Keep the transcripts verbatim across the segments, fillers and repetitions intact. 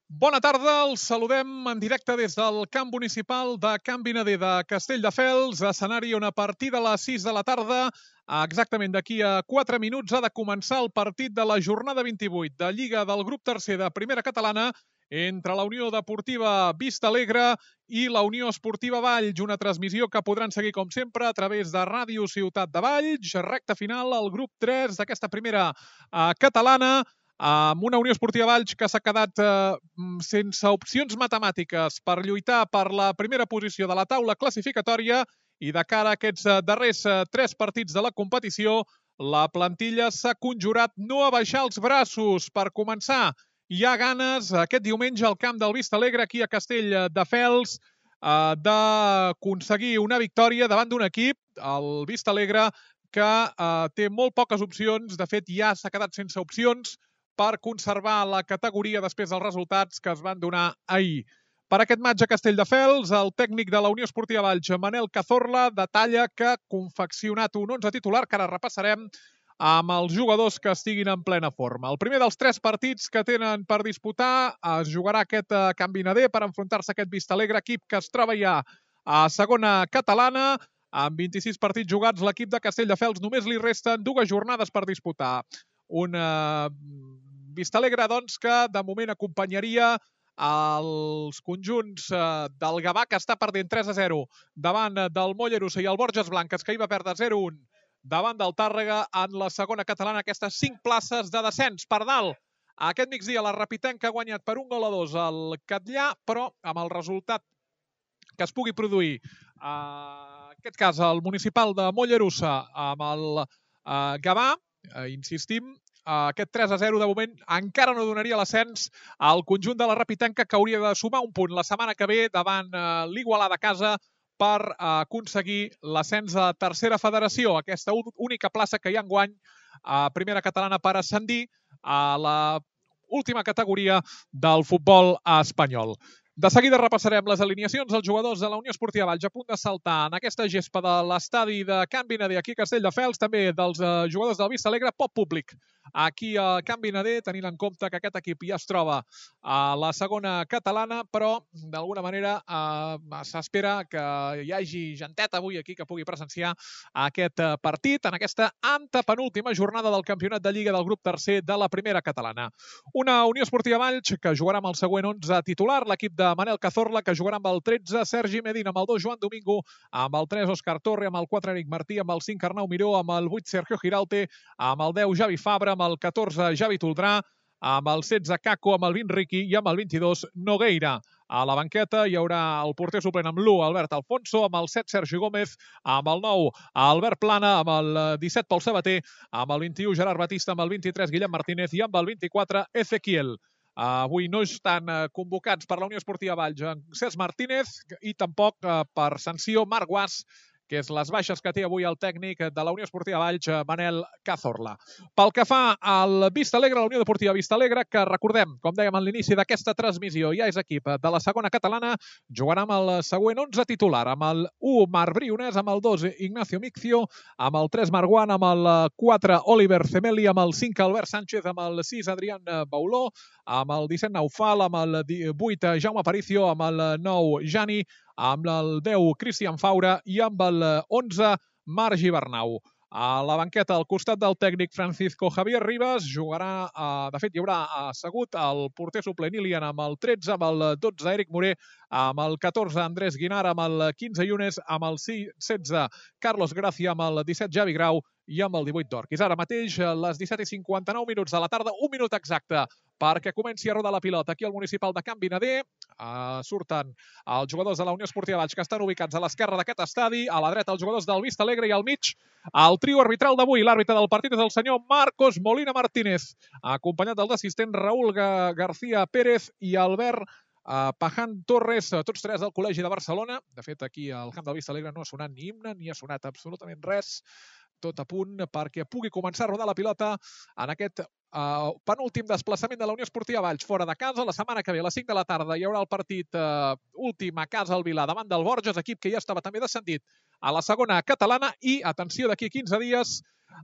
Bona tarda, els saludem en directe des del camp municipal de Can Vinader de Castelldefels, escenari on a partir de les sis de la tarda, exactament d'aquí a quatre minuts, ha de començar el partit de la jornada vint-i-vuit de Lliga del grup tercer de Primera Catalana entre la Unió Deportiva Vista Alegre i la Unió Esportiva Valls, una transmissió que podran seguir, com sempre, a través de Ràdio Ciutat de Valls, recta final al grup tres d'aquesta primera eh, catalana, amb una Unió Esportiva Valls que s'ha quedat eh, sense opcions matemàtiques per lluitar per la primera posició de la taula classificatòria i de cara a aquests eh, darrers eh, tres partits de la competició, la plantilla s'ha conjurat no a baixar els braços. Per començar, hi ha ganes aquest diumenge al camp del Vista Alegre, aquí a Castelldefels, eh, d'aconseguir una victòria davant d'un equip, el Vista Alegre, que eh, té molt poques opcions. De fet, ja s'ha quedat sense opcions per conservar la categoria després dels resultats que es van donar ahir. Per aquest matx a Castelldefels, el tècnic de la Unió Esportiva Valls, Manel Cazorla, detalla que ha confeccionat un onze titular que ara repassarem amb els jugadors que estiguin en plena forma. El primer dels tres partits que tenen per disputar es jugarà aquest Can Vinader per enfrontar-se a aquest Vista Alegre, equip que es troba ja a segona catalana. Amb vint-i-sis partits jugats, l'equip de Castelldefels només li resten dues jornades per disputar. Una Vista Alegre, doncs, que de moment acompanyaria els conjunts del Gavà, que està perdent tres a zero davant del Mollerussa, i el Borges Blanques, que hi va perdre zero a un davant del Tàrrega en la segona catalana. Aquestes cinc places de descens per dalt. Aquest migdia la Rapitenca ha guanyat per un gol a dos al Catllà, però amb el resultat que es pugui produir, en aquest cas el municipal de Mollerussa amb el Gavà, insistim, aquest tres a zero de moment encara no donaria l'ascens al conjunt de la Rapitenca, que hauria de sumar un punt la setmana que ve davant l'Igualada a casa per aconseguir l'ascens a tercera federació, aquesta única plaça que hi ha enguany a Primera Catalana per ascendir a la última categoria del futbol espanyol. De seguida repassarem les alineacions dels jugadors de la Unió Esportiva Valls a punt de saltar en aquesta gespa de l'estadi de Can Vinader aquí a Castelldefels, també dels jugadors del Vista Alegre, poc públic aquí a Can Vinader, tenint en compte que aquest equip ja es troba a la segona catalana, però d'alguna manera eh, s'espera que hi hagi gentet avui aquí que pugui presenciar aquest partit en aquesta antepenúltima jornada del campionat de Lliga del grup tercer de la Primera Catalana. Una Unió Esportiva Valls que jugarà amb el següent onze titular, l'equip de Manel Cazorla, que jugarà amb el tretze Sergi Medina, amb el dos Joan Domingo, amb el tres Òscar Torre, amb el quatre Eric Martí, amb el cinc Arnau Miró, amb el vuit Sergio Giralte, amb el deu Javi Fabra, amb el catorze Javi Toldrà, amb el setze Caco, amb el vint Riqui i amb el vint-i-dos Nogueira. A la banqueta hi haurà el porter suplent amb l'u Albert Alfonso, amb el set Sergi Gómez, amb el nou Albert Plana, amb el disset Pol Sabater, amb el vint-i-u Gerard Batista, amb el vint-i-tres Guillem Martínez i amb el vint-i-quatre Ezequiel. Avui no estan convocats per la Unió Esportiva Valls Cesc Martínez i tampoc per sanció Marc Guas, que és les baixes que té avui el tècnic de la Unió Esportiva Valls, Manel Cazorla. Pel que fa al Vista Alegre, la Unió Deportiva Vista Alegre, que recordem, com dèiem a l'inici d'aquesta transmissió, ja és equip de la segona catalana, jugarà amb el següent onze titular, amb el u Marc Briones, amb el dos Ignacio Miccio, amb el tres Marguant, amb el quatre Oliver Cemeli, amb el cinc Albert Sánchez, amb el sis Adrián Bauló, amb el disset Naufal, amb el vuit Jaume Aparicio, amb el nou Jani, amb el deu Cristian Faura i amb el onze Marc Gibernau. A la banqueta, al costat del tècnic Francisco Javier Rivas, jugarà, de fet, hi haurà assegut el porter suplent Ilian amb el tretze, amb el dotze Eric Moré, amb el catorze Andrés Guinar, amb el quinze Yunes, amb el setze Carlos Gracia, amb el disset Javi Grau i amb el divuit Dorquis. Ara mateix, les disset i cinquanta-nou minuts de la tarda, un minut exacte perquè comenci a rodar la pilota aquí al municipal de Can Vinader. Uh, surten els jugadors de la Unió Esportiva Valls, que estan ubicats a l'esquerra d'aquest estadi, a la dreta els jugadors del Vista Alegre i al mig el trio arbitral d'avui. L'àrbitre del partit és el senyor Marcos Molina Martínez, acompanyat dels assistents Raúl García Pérez i Albert uh, Paján Torres, tots tres del Col·legi de Barcelona. De fet, aquí al camp del Vista Alegre no ha sonat ni himne, ni ha sonat absolutament res. Tot a punt perquè pugui començar a rodar la pilota en aquest uh, penúltim desplaçament de la Unió Esportiva Valls fora de casa. La setmana que ve, a les cinc de la tarda, hi haurà el partit uh, últim a casa al Vilar davant del Borges, equip que ja estava també descendit a la segona catalana. I, atenció, d'aquí a quinze dies,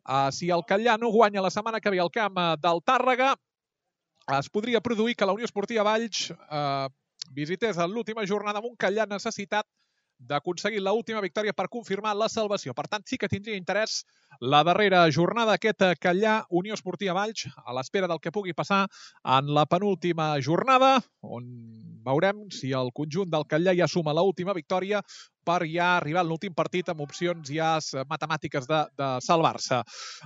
uh, si el Catllà no guanya la setmana que ve al camp uh, del Tàrrega, es podria produir que la Unió Esportiva Valls eh, visités en l'última jornada amb un Callar necessitat d'aconseguir l'última victòria per confirmar la salvació. Per tant, sí que tindria interès la darrera jornada aquest Callar Unió Esportiva Valls, a l'espera del que pugui passar en la penúltima jornada, on veurem si el conjunt del Callar ja suma l'última victòria per ja arribar a l'últim partit amb opcions ja matemàtiques de, de salvar-se.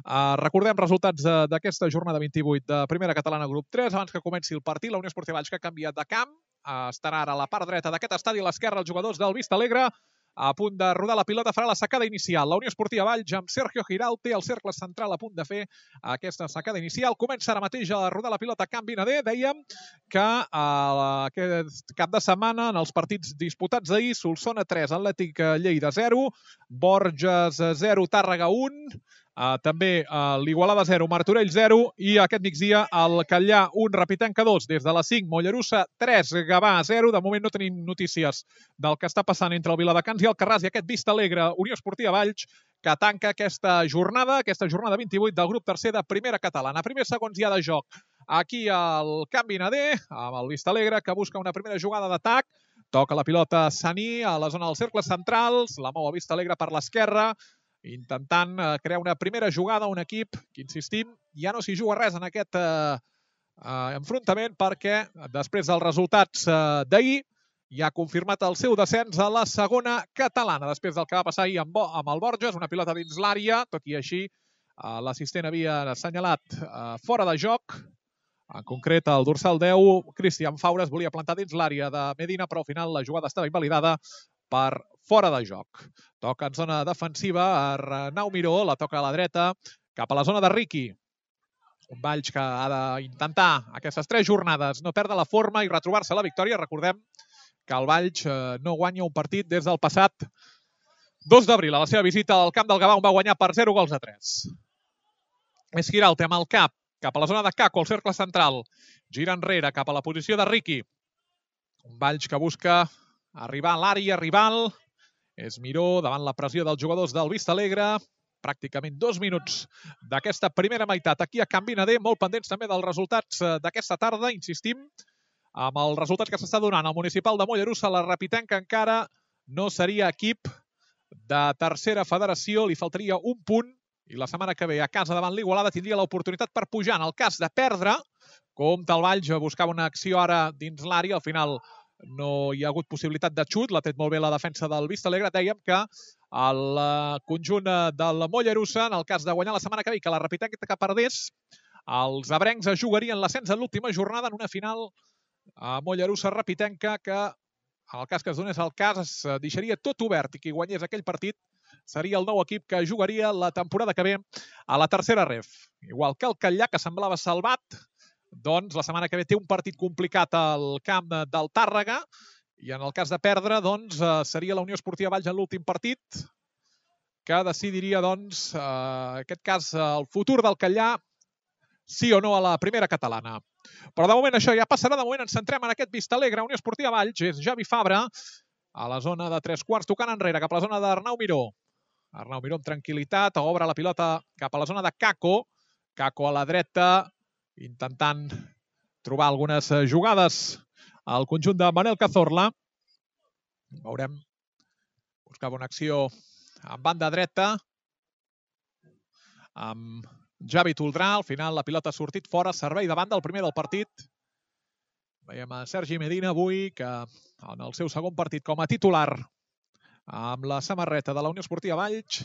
Uh, recordem resultats d'aquesta jornada vint-i-vuit de Primera Catalana Grup tres. Abans que comenci el partit, la Unió Esportiva Valls, que ha canviat de camp, uh, estarà ara a la part dreta d'aquest estadi, a l'esquerra els jugadors del Vista Alegre, a punt de rodar la pilota, farà la sacada inicial. La Unió Esportiva Valls amb Sergio Giralt té el cercle central a punt de fer aquesta sacada inicial. Comença ara mateix a rodar la pilota Can Vinader. Dèiem que uh, aquest cap de setmana, en els partits disputats d'ahir, Solsona tres, Atlètic Lleida zero, Borges zero, Tàrrega un, uh, també uh, l'Igualada zero, Martorell zero, i aquest migdia el Callar un, Rapitenca dos. Des de les cinc, Mollerussa tres, Gavà zero. De moment no tenim notícies del que està passant entre el Viladecans i el Carràs, i aquest Vista Alegre Unió Esportiva Valls, que tanca aquesta jornada, aquesta jornada vint-i-vuit del grup tercer de Primera Catalana. Primers segons ja de joc aquí al Can Vinader, amb el Vista Alegre, que busca una primera jugada d'atac. Toca la pilota Saní a la zona dels cercles centrals, la mou a Vista Alegre per l'esquerra, intentant crear una primera jugada, un equip que, insistim, ja no s'hi juga res en aquest eh, eh, enfrontament, perquè després dels resultats eh, d'ahir ja ha confirmat el seu descens a la segona catalana, després del que va passar ahir amb, amb el Borges, una pilota dins l'àrea, tot i així eh, l'assistent havia assenyalat eh, fora de joc. En concret, el dorsal deu, Cristian Faures, volia plantar dins l'àrea de Medina, però al final la jugada estava invalidada per fora de joc. Toca en zona defensiva, Arnau Miró, la toca a la dreta, cap a la zona de Riqui. Un Valls que ha d'intentar aquestes tres jornades no perdre la forma i retrobar-se la victòria. Recordem que el Valls no guanya un partit des del passat dos d'abril. A la seva visita al camp del Gavà, on va guanyar per zero gols a tres. És Giralt amb el cap, cap a la zona de Caco, al cercle central. Gira enrere, cap a la posició de Riqui. Un Valls que busca arribar a l'àrea rival. És Miró davant la pressió dels jugadors del Vista Alegre. Pràcticament dos minuts d'aquesta primera meitat aquí a Can Vinader, molt pendents també dels resultats d'aquesta tarda, insistim, amb els resultats que s'està donant al municipal de Mollerussa. La Rapitenca encara no seria equip de tercera federació, li faltaria un punt, i la setmana que ve a casa davant l'Igualada tindria l'oportunitat per pujar. En el cas de perdre, com el Valls buscava una acció ara dins l'àrea, al final no hi ha hagut possibilitat de xut, l'ha tret molt bé la defensa del Vista Alegre. Dèiem que el conjunt del Mollerussa, en el cas de guanyar la setmana que ve, que la Rapitenca que perdés, els abrencs es jugarien l'ascens en l'última jornada en una final a Mollerussa-Rapitenca, que en el cas que es donés el cas es deixaria tot obert, i qui guanyés aquell partit seria el nou equip que jugaria la temporada que ve a la tercera ref. Igual que el Callar, que semblava salvat, doncs la setmana que ve té un partit complicat al camp del Tàrrega, i en el cas de perdre, doncs, seria la Unió Esportiva Valls en l'últim partit, que decidiria, doncs, en aquest cas, el futur del Callar, sí o no a la primera catalana. Però de moment això ja passarà. De moment ens centrem en aquest Vista Alegre, Unió Esportiva Valls. És Javi Fabra a la zona de tres quarts, tocant enrere cap a la zona d'Arnau Miró. Arnau Miró amb tranquil·litat, obre la pilota cap a la zona de Caco. Caco a la dreta, intentant trobar algunes jugades al conjunt de Manel Cazorla. Veurem, buscava una acció en banda dreta amb Javi Toldrà. Al final la pilota ha sortit fora, servei de banda, el primer del partit. Veiem a Sergi Medina avui, que en el seu segon partit com a titular amb la samarreta de la Unió Esportiva Valls,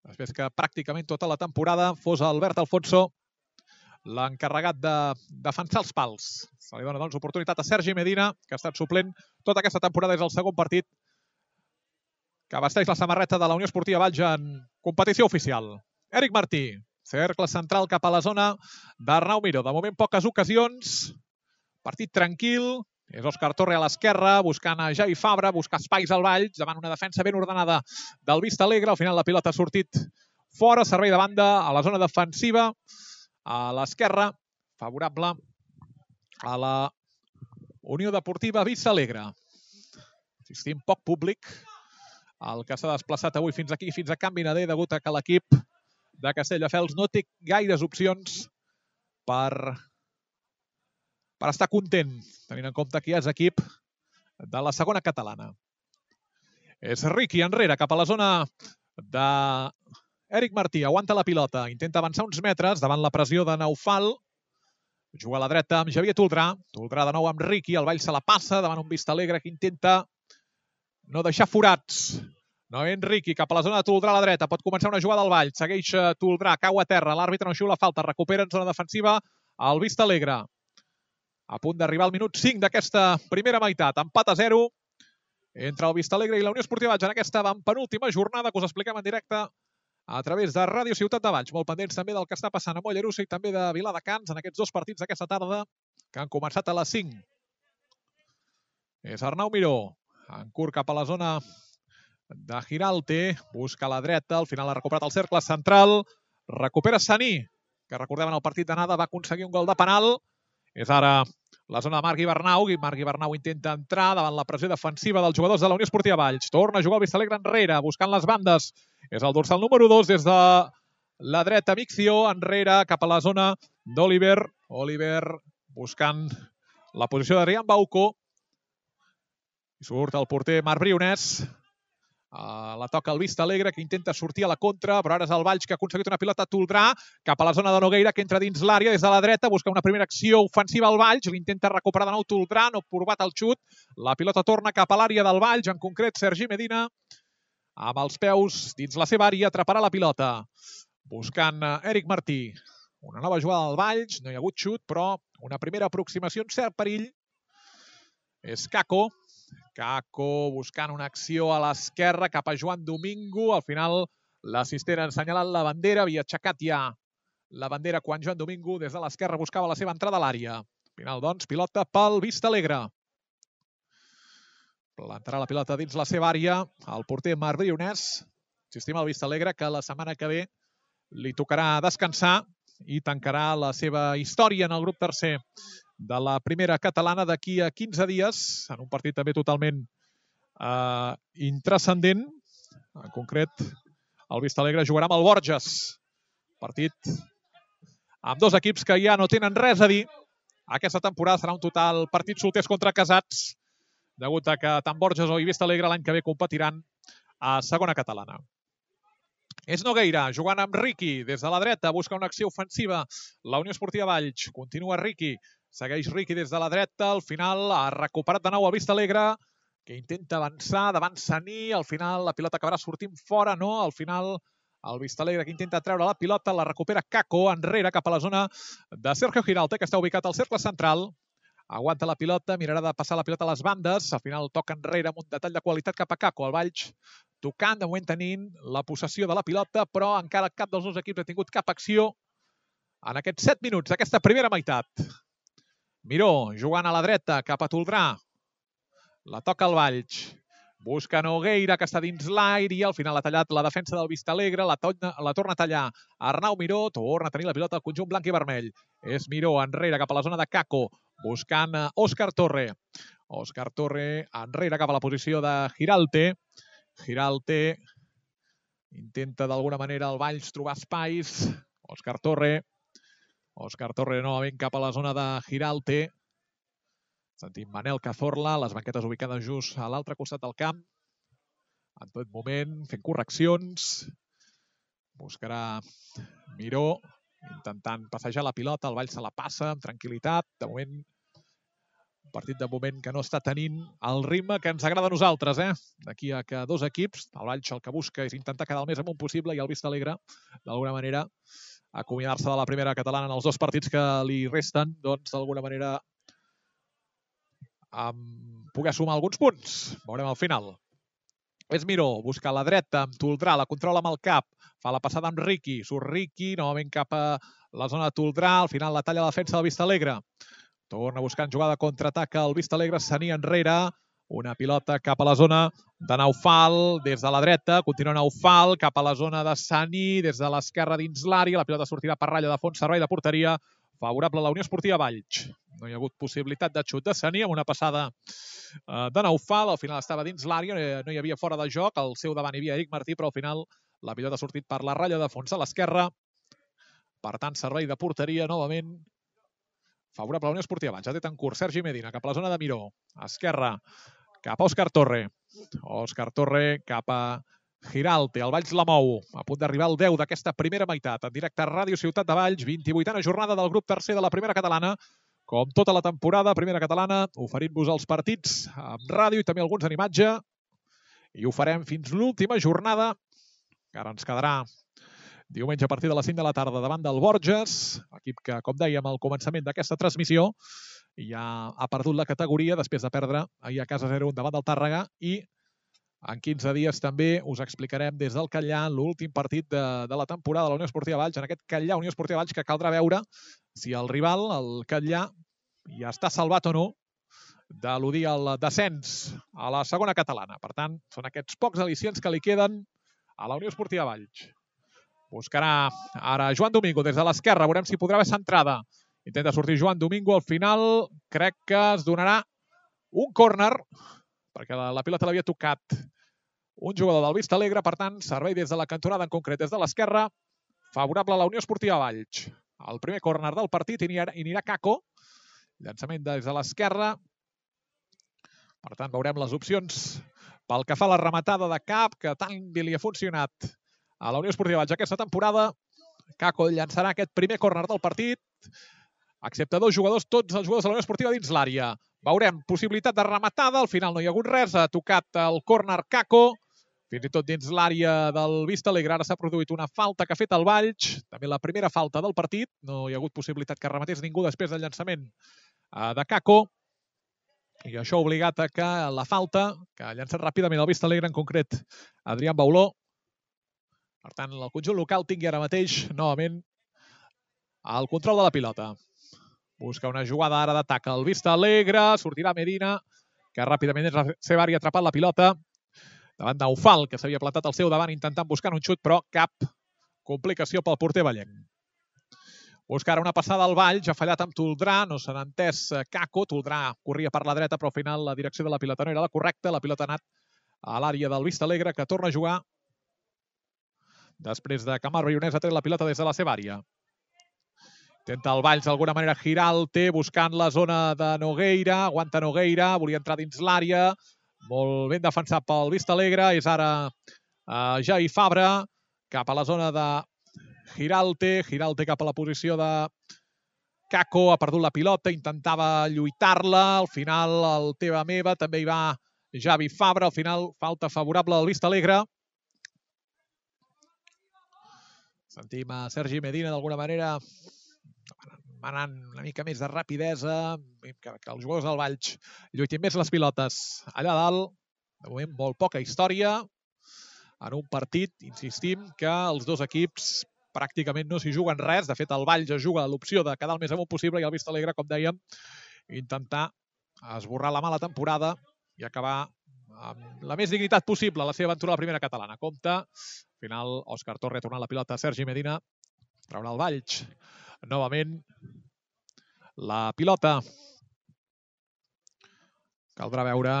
després que pràcticament tota la temporada fos Albert Alfonso l'encarregat de defensar els pals. Se li dona, doncs, oportunitat a Sergi Medina, que ha estat suplent tota aquesta temporada. És el segon partit que vesteix la samarreta de la Unió Esportiva Valls en competició oficial. Eric Martí, cercle central cap a la zona d'Arnau Miró. De moment poques ocasions, partit tranquil. És Òscar Torre a l'esquerra, buscant a Javi Fabra, buscar espais al Valls, davant una defensa ben ordenada del Vista Alegre. Al final la pilota ha sortit fora, servei de banda a la zona defensiva, a l'esquerra, favorable a la Unió Deportiva Vista Alegre. Insistim, poc públic el que s'ha desplaçat avui fins aquí, fins a Can Vinader, degut a que l'equip de Castelldefels no té gaires opcions per, per estar content, tenint en compte que ja és equip de la segona catalana. És Riqui enrere, cap a la zona d'Eric Martí. Aguanta la pilota, intenta avançar uns metres davant la pressió de Naufal. Juga a la dreta amb Xavier Toldrà. Toldrà de nou amb Riqui, el Vall se la passa davant un Vistalegre que intenta no deixar forats. No Enriqui, cap a la zona de Toldrà a la dreta. Pot començar una jugada al Vall. Segueix Toldrà, cau a terra. L'àrbitre no xiula falta. Recupera en zona defensiva el Vistalegre. A punt d'arribar al minut cinc d'aquesta primera meitat. Empat a zero entre el Vistalegre i la Unió Esportiva Valls en aquesta penúltima jornada que us expliquem en directe a través de Ràdio Ciutat de Valls. Molt pendents també del que està passant a Mollerussa i també de Viladecans en aquests dos partits d'aquesta tarda que han començat a les cinc. És Arnau Miró. En curt cap a la zona de Giralte, busca a la dreta, al final ha recuperat el cercle central, recupera Saní, que recordem en el partit d'anada va aconseguir un gol de penal. És ara la zona de Marc Ibernau, i Marc Ibernau intenta entrar davant la pressió defensiva dels jugadors de la Unió Esportiva Valls. Torna a jugar el Vistalegre enrere, buscant les bandes. És el dorsal número dos des de la dreta, Micció, enrere cap a la zona d'Oliver. Oliver buscant la posició de Rian Bauco. I surt el porter Marc Brionès. Uh, la toca el Vistalegre, que intenta sortir a la contra, però ara és el Valls que ha aconseguit una pilota a Toldrà, cap a la zona de Nogueira, que entra dins l'àrea des de la dreta, busca una primera acció ofensiva al Valls, l'intenta recuperar de nou Toldrà, no ha provat el xut, la pilota torna cap a l'àrea del Valls, en concret Sergi Medina, amb els peus dins la seva àrea, atraparà la pilota, buscant Eric Martí. Una nova jugada al Valls, no hi ha hagut xut, però una primera aproximació en cert perill. És Caco. Caco buscant una acció a l'esquerra cap a Joan Domingo. Al final l'assistent ha assenyalat la bandera, havia aixecat ja la bandera quan Joan Domingo des de l'esquerra buscava la seva entrada a l'àrea. Al final, doncs, pilota pel Vistalegre. Plantarà la pilota dins la seva àrea el porter Marc Brionès. Insistim al Vistalegre que la setmana que ve li tocarà descansar i tancarà la seva història en el grup tercer de la primera catalana d'aquí a quinze dies, en un partit també totalment eh, intranscendent. En concret, el Vistalegre jugarà amb el Borges. Partit amb dos equips que ja no tenen res a dir. Aquesta temporada serà un total partit solters contra casats, degut a que tant Borges o Vistalegre l'any que ve competiran a segona catalana. És Nogueira, jugant amb Riqui des de la dreta, busca una acció ofensiva. La Unió Esportiva Valls, continua Riqui. Segueix Riqui des de la dreta, al final ha recuperat de nou el Vistalegre, que intenta avançar davant Saní, al final la pilota acabarà sortint fora, no? Al final el Vistalegre que intenta treure la pilota, la recupera Caco, enrere cap a la zona de Sergio Giralte, que està ubicat al cercle central. Aguanta la pilota, mirarà de passar la pilota a les bandes, al final toca enrere amb un detall de qualitat cap a Caco. El Valls tocant, de moment tenint la possessió de la pilota, però encara cap dels dos equips ha tingut cap acció en aquests set minuts d'aquesta primera meitat. Miró, jugant a la dreta, cap a Toldrà. La toca el Valls. Busca Nogueira, que està dins l'aire, i al final ha tallat la defensa del Vistalegre. La, torna, la torna a tallar Arnau Miró. Torna a tenir la pilota al conjunt blanc i vermell. És Miró enrere cap a la zona de Caco, buscant Òscar Torre. Òscar Torre enrere cap a la posició de Giralte. Giralte intenta d'alguna manera el Valls trobar espais. Òscar Torre. Òscar Torre novament cap a la zona de Giralte. Sentim Manel Cazorla, les banquetes ubicades just a l'altre costat del camp. En tot moment, fent correccions. Buscarà Miró, intentant passejar la pilota. El Valls se la passa amb tranquil·litat. De moment, un partit de moment que no està tenint el ritme que ens agrada a nosaltres. Eh? D'aquí a que dos equips, el Valls el que busca és intentar quedar el més amunt possible i el Vistalegre, d'alguna manera, acomiadar-se de la primera catalana en els dos partits que li resten, doncs d'alguna manera um, poder sumar alguns punts. Veurem al final. És Miró, busca a la dreta amb Toldrà, la controla amb el cap, fa la passada amb Riqui, surt Riqui, novament cap a la zona de Toldrà, al final la talla la defensa del Vistalegre. Torna buscant jugada contraataca el Vistalegre, Saní enrere, una pilota cap a la zona de Naufal, des de la dreta, continua Naufal, cap a la zona de Saní, des de l'esquerra dins l'àrea, la pilota sortirà per ratlla de fons, servei de porteria, favorable a la Unió Esportiva Valls. No hi ha hagut possibilitat de xut de Saní, amb una passada de Naufal, al final estava dins l'àrea, no hi havia fora de joc, al seu davant hi havia Eric Martí, però al final la pilota ha sortit per la ratlla de fons a l'esquerra. Per tant, servei de porteria novament favorable a la Unió Esportiva Valls. Ja té en curs Sergi Medina cap a la zona de Miró. Esquerra cap a Òscar Torre. Òscar Torre cap a Giralte. El Valls la mou. A punt d'arribar al deu d'aquesta primera meitat. En directe a Ràdio Ciutat de Valls. vint-i-vuitena jornada del grup tercer de la primera catalana. Com tota la temporada, primera catalana, oferint-vos els partits amb ràdio i també alguns en imatge. I ho farem fins l'última jornada, que ara ens quedarà diumenge a partir de les cinc de la tarda davant del Borges, equip que, com dèiem al començament d'aquesta transmissió, ja ha perdut la categoria després de perdre ahir a casa zero un davant del Tàrrega, i en quinze dies també us explicarem des del Catllà l'últim partit de, de la temporada de la Unió Esportiva Valls, en aquest Catllà Unió Esportiva Valls, que caldrà veure si el rival, el Catllà, ja està salvat o no d'eludir el descens a la segona catalana. Per tant, són aquests pocs al·licients que li queden a la Unió Esportiva Valls. Buscarà ara Joan Domingo des de l'esquerra. Veurem si podrà haver centrada. Intenta sortir Joan Domingo. Al final crec que es donarà un córner, perquè la, la pilota l'havia tocat un jugador del Vista Alegre. Per tant, servei des de la cantonada, en concret des de l'esquerra, favorable a la Unió Esportiva Valls. El primer córner del partit i anirà Caco. Llançament des de l'esquerra. Per tant, veurem les opcions pel que fa a la rematada de cap, que tant bé li ha funcionat a la Unió Esportiva Valls aquesta temporada. Caco llançarà aquest primer córner del partit, excepte dos jugadors, tots els jugadors de la Unió Esportiva dins l'àrea. Veurem possibilitat de rematada, al final no hi ha hagut res, ha tocat el córner Caco, fins i tot dins l'àrea del Vista Alegre. Ara s'ha produït una falta que ha fet el Valls, també la primera falta del partit, no hi ha hagut possibilitat que rematés ningú després del llançament de Caco, i això ha obligat a que la falta, que ha llançat ràpidament el Vista Alegre, en concret Adrián Bauló. Per tant, el conjunt local tingui ara mateix, novament, el control de la pilota. Busca una jugada ara d'atac al Vista Alegre, sortirà Medina, que ràpidament és la seva àrea, ha atrapat la pilota, davant d'Eufal, que s'havia plantat al seu davant intentant buscar un xut, però cap complicació pel porter vallenc. Busca ara una passada al Valls, ha fallat amb Toldrà, no se n'ha entès Caco, Toldrà corria per la dreta, però al final la direcció de la pilota no era la correcta, la pilota ha anat a l'àrea del Vista Alegre, que torna a jugar després de que Marc Brionès ha tret la pilota des de la seva àrea. Intenta el Valls d'alguna manera Giralte, buscant la zona de Nogueira, aguanta Nogueira, volia entrar dins l'àrea, molt ben defensat pel Vista Alegre, és ara uh, Javi Fabra, cap a la zona de Giralte, Giralte cap a la posició de Caco, ha perdut la pilota, intentava lluitar-la, al final el teva meva, també hi va Javi Fabra, al final falta favorable al Vista Alegre. Sentim a Sergi Medina d'alguna manera manant una mica més de rapidesa, que, que els jugadors del Valls lluitin més les pilotes allà dalt. De moment molt poca història en un partit, insistim, que els dos equips pràcticament no s'hi juguen res. De fet, el Valls es juga l'opció de quedar el més amunt possible i el Vista Alegre, com dèiem, intentar esborrar la mala temporada i acabar amb la més dignitat possible la seva aventura a la primera catalana. Compte, al final, Òscar Torre ha tornat la pilota a Sergi Medina, traurà el Valls novament la pilota. Caldrà veure,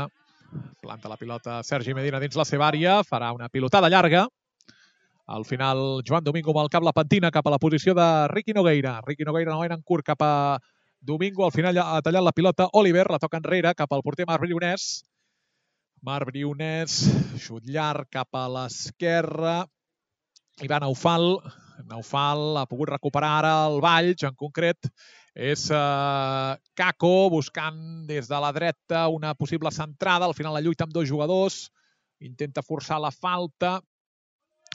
planta la pilota Sergi Medina dins la seva àrea, farà una pilotada llarga. Al final, Joan Domingo amb el cap la pentina cap a la posició de Riqui Nogueira. Riqui Nogueira no en curt cap a Domingo, al final ha tallat la pilota Oliver, la toca enrere cap al porter Marc Brionès. Marc Brionès, xut llarg cap a l'esquerra. Hi va Naufal. Naufal ha pogut recuperar ara el Valls, en concret és uh, Caco buscant des de la dreta una possible centrada. Al final la lluita amb dos jugadors, intenta forçar la falta.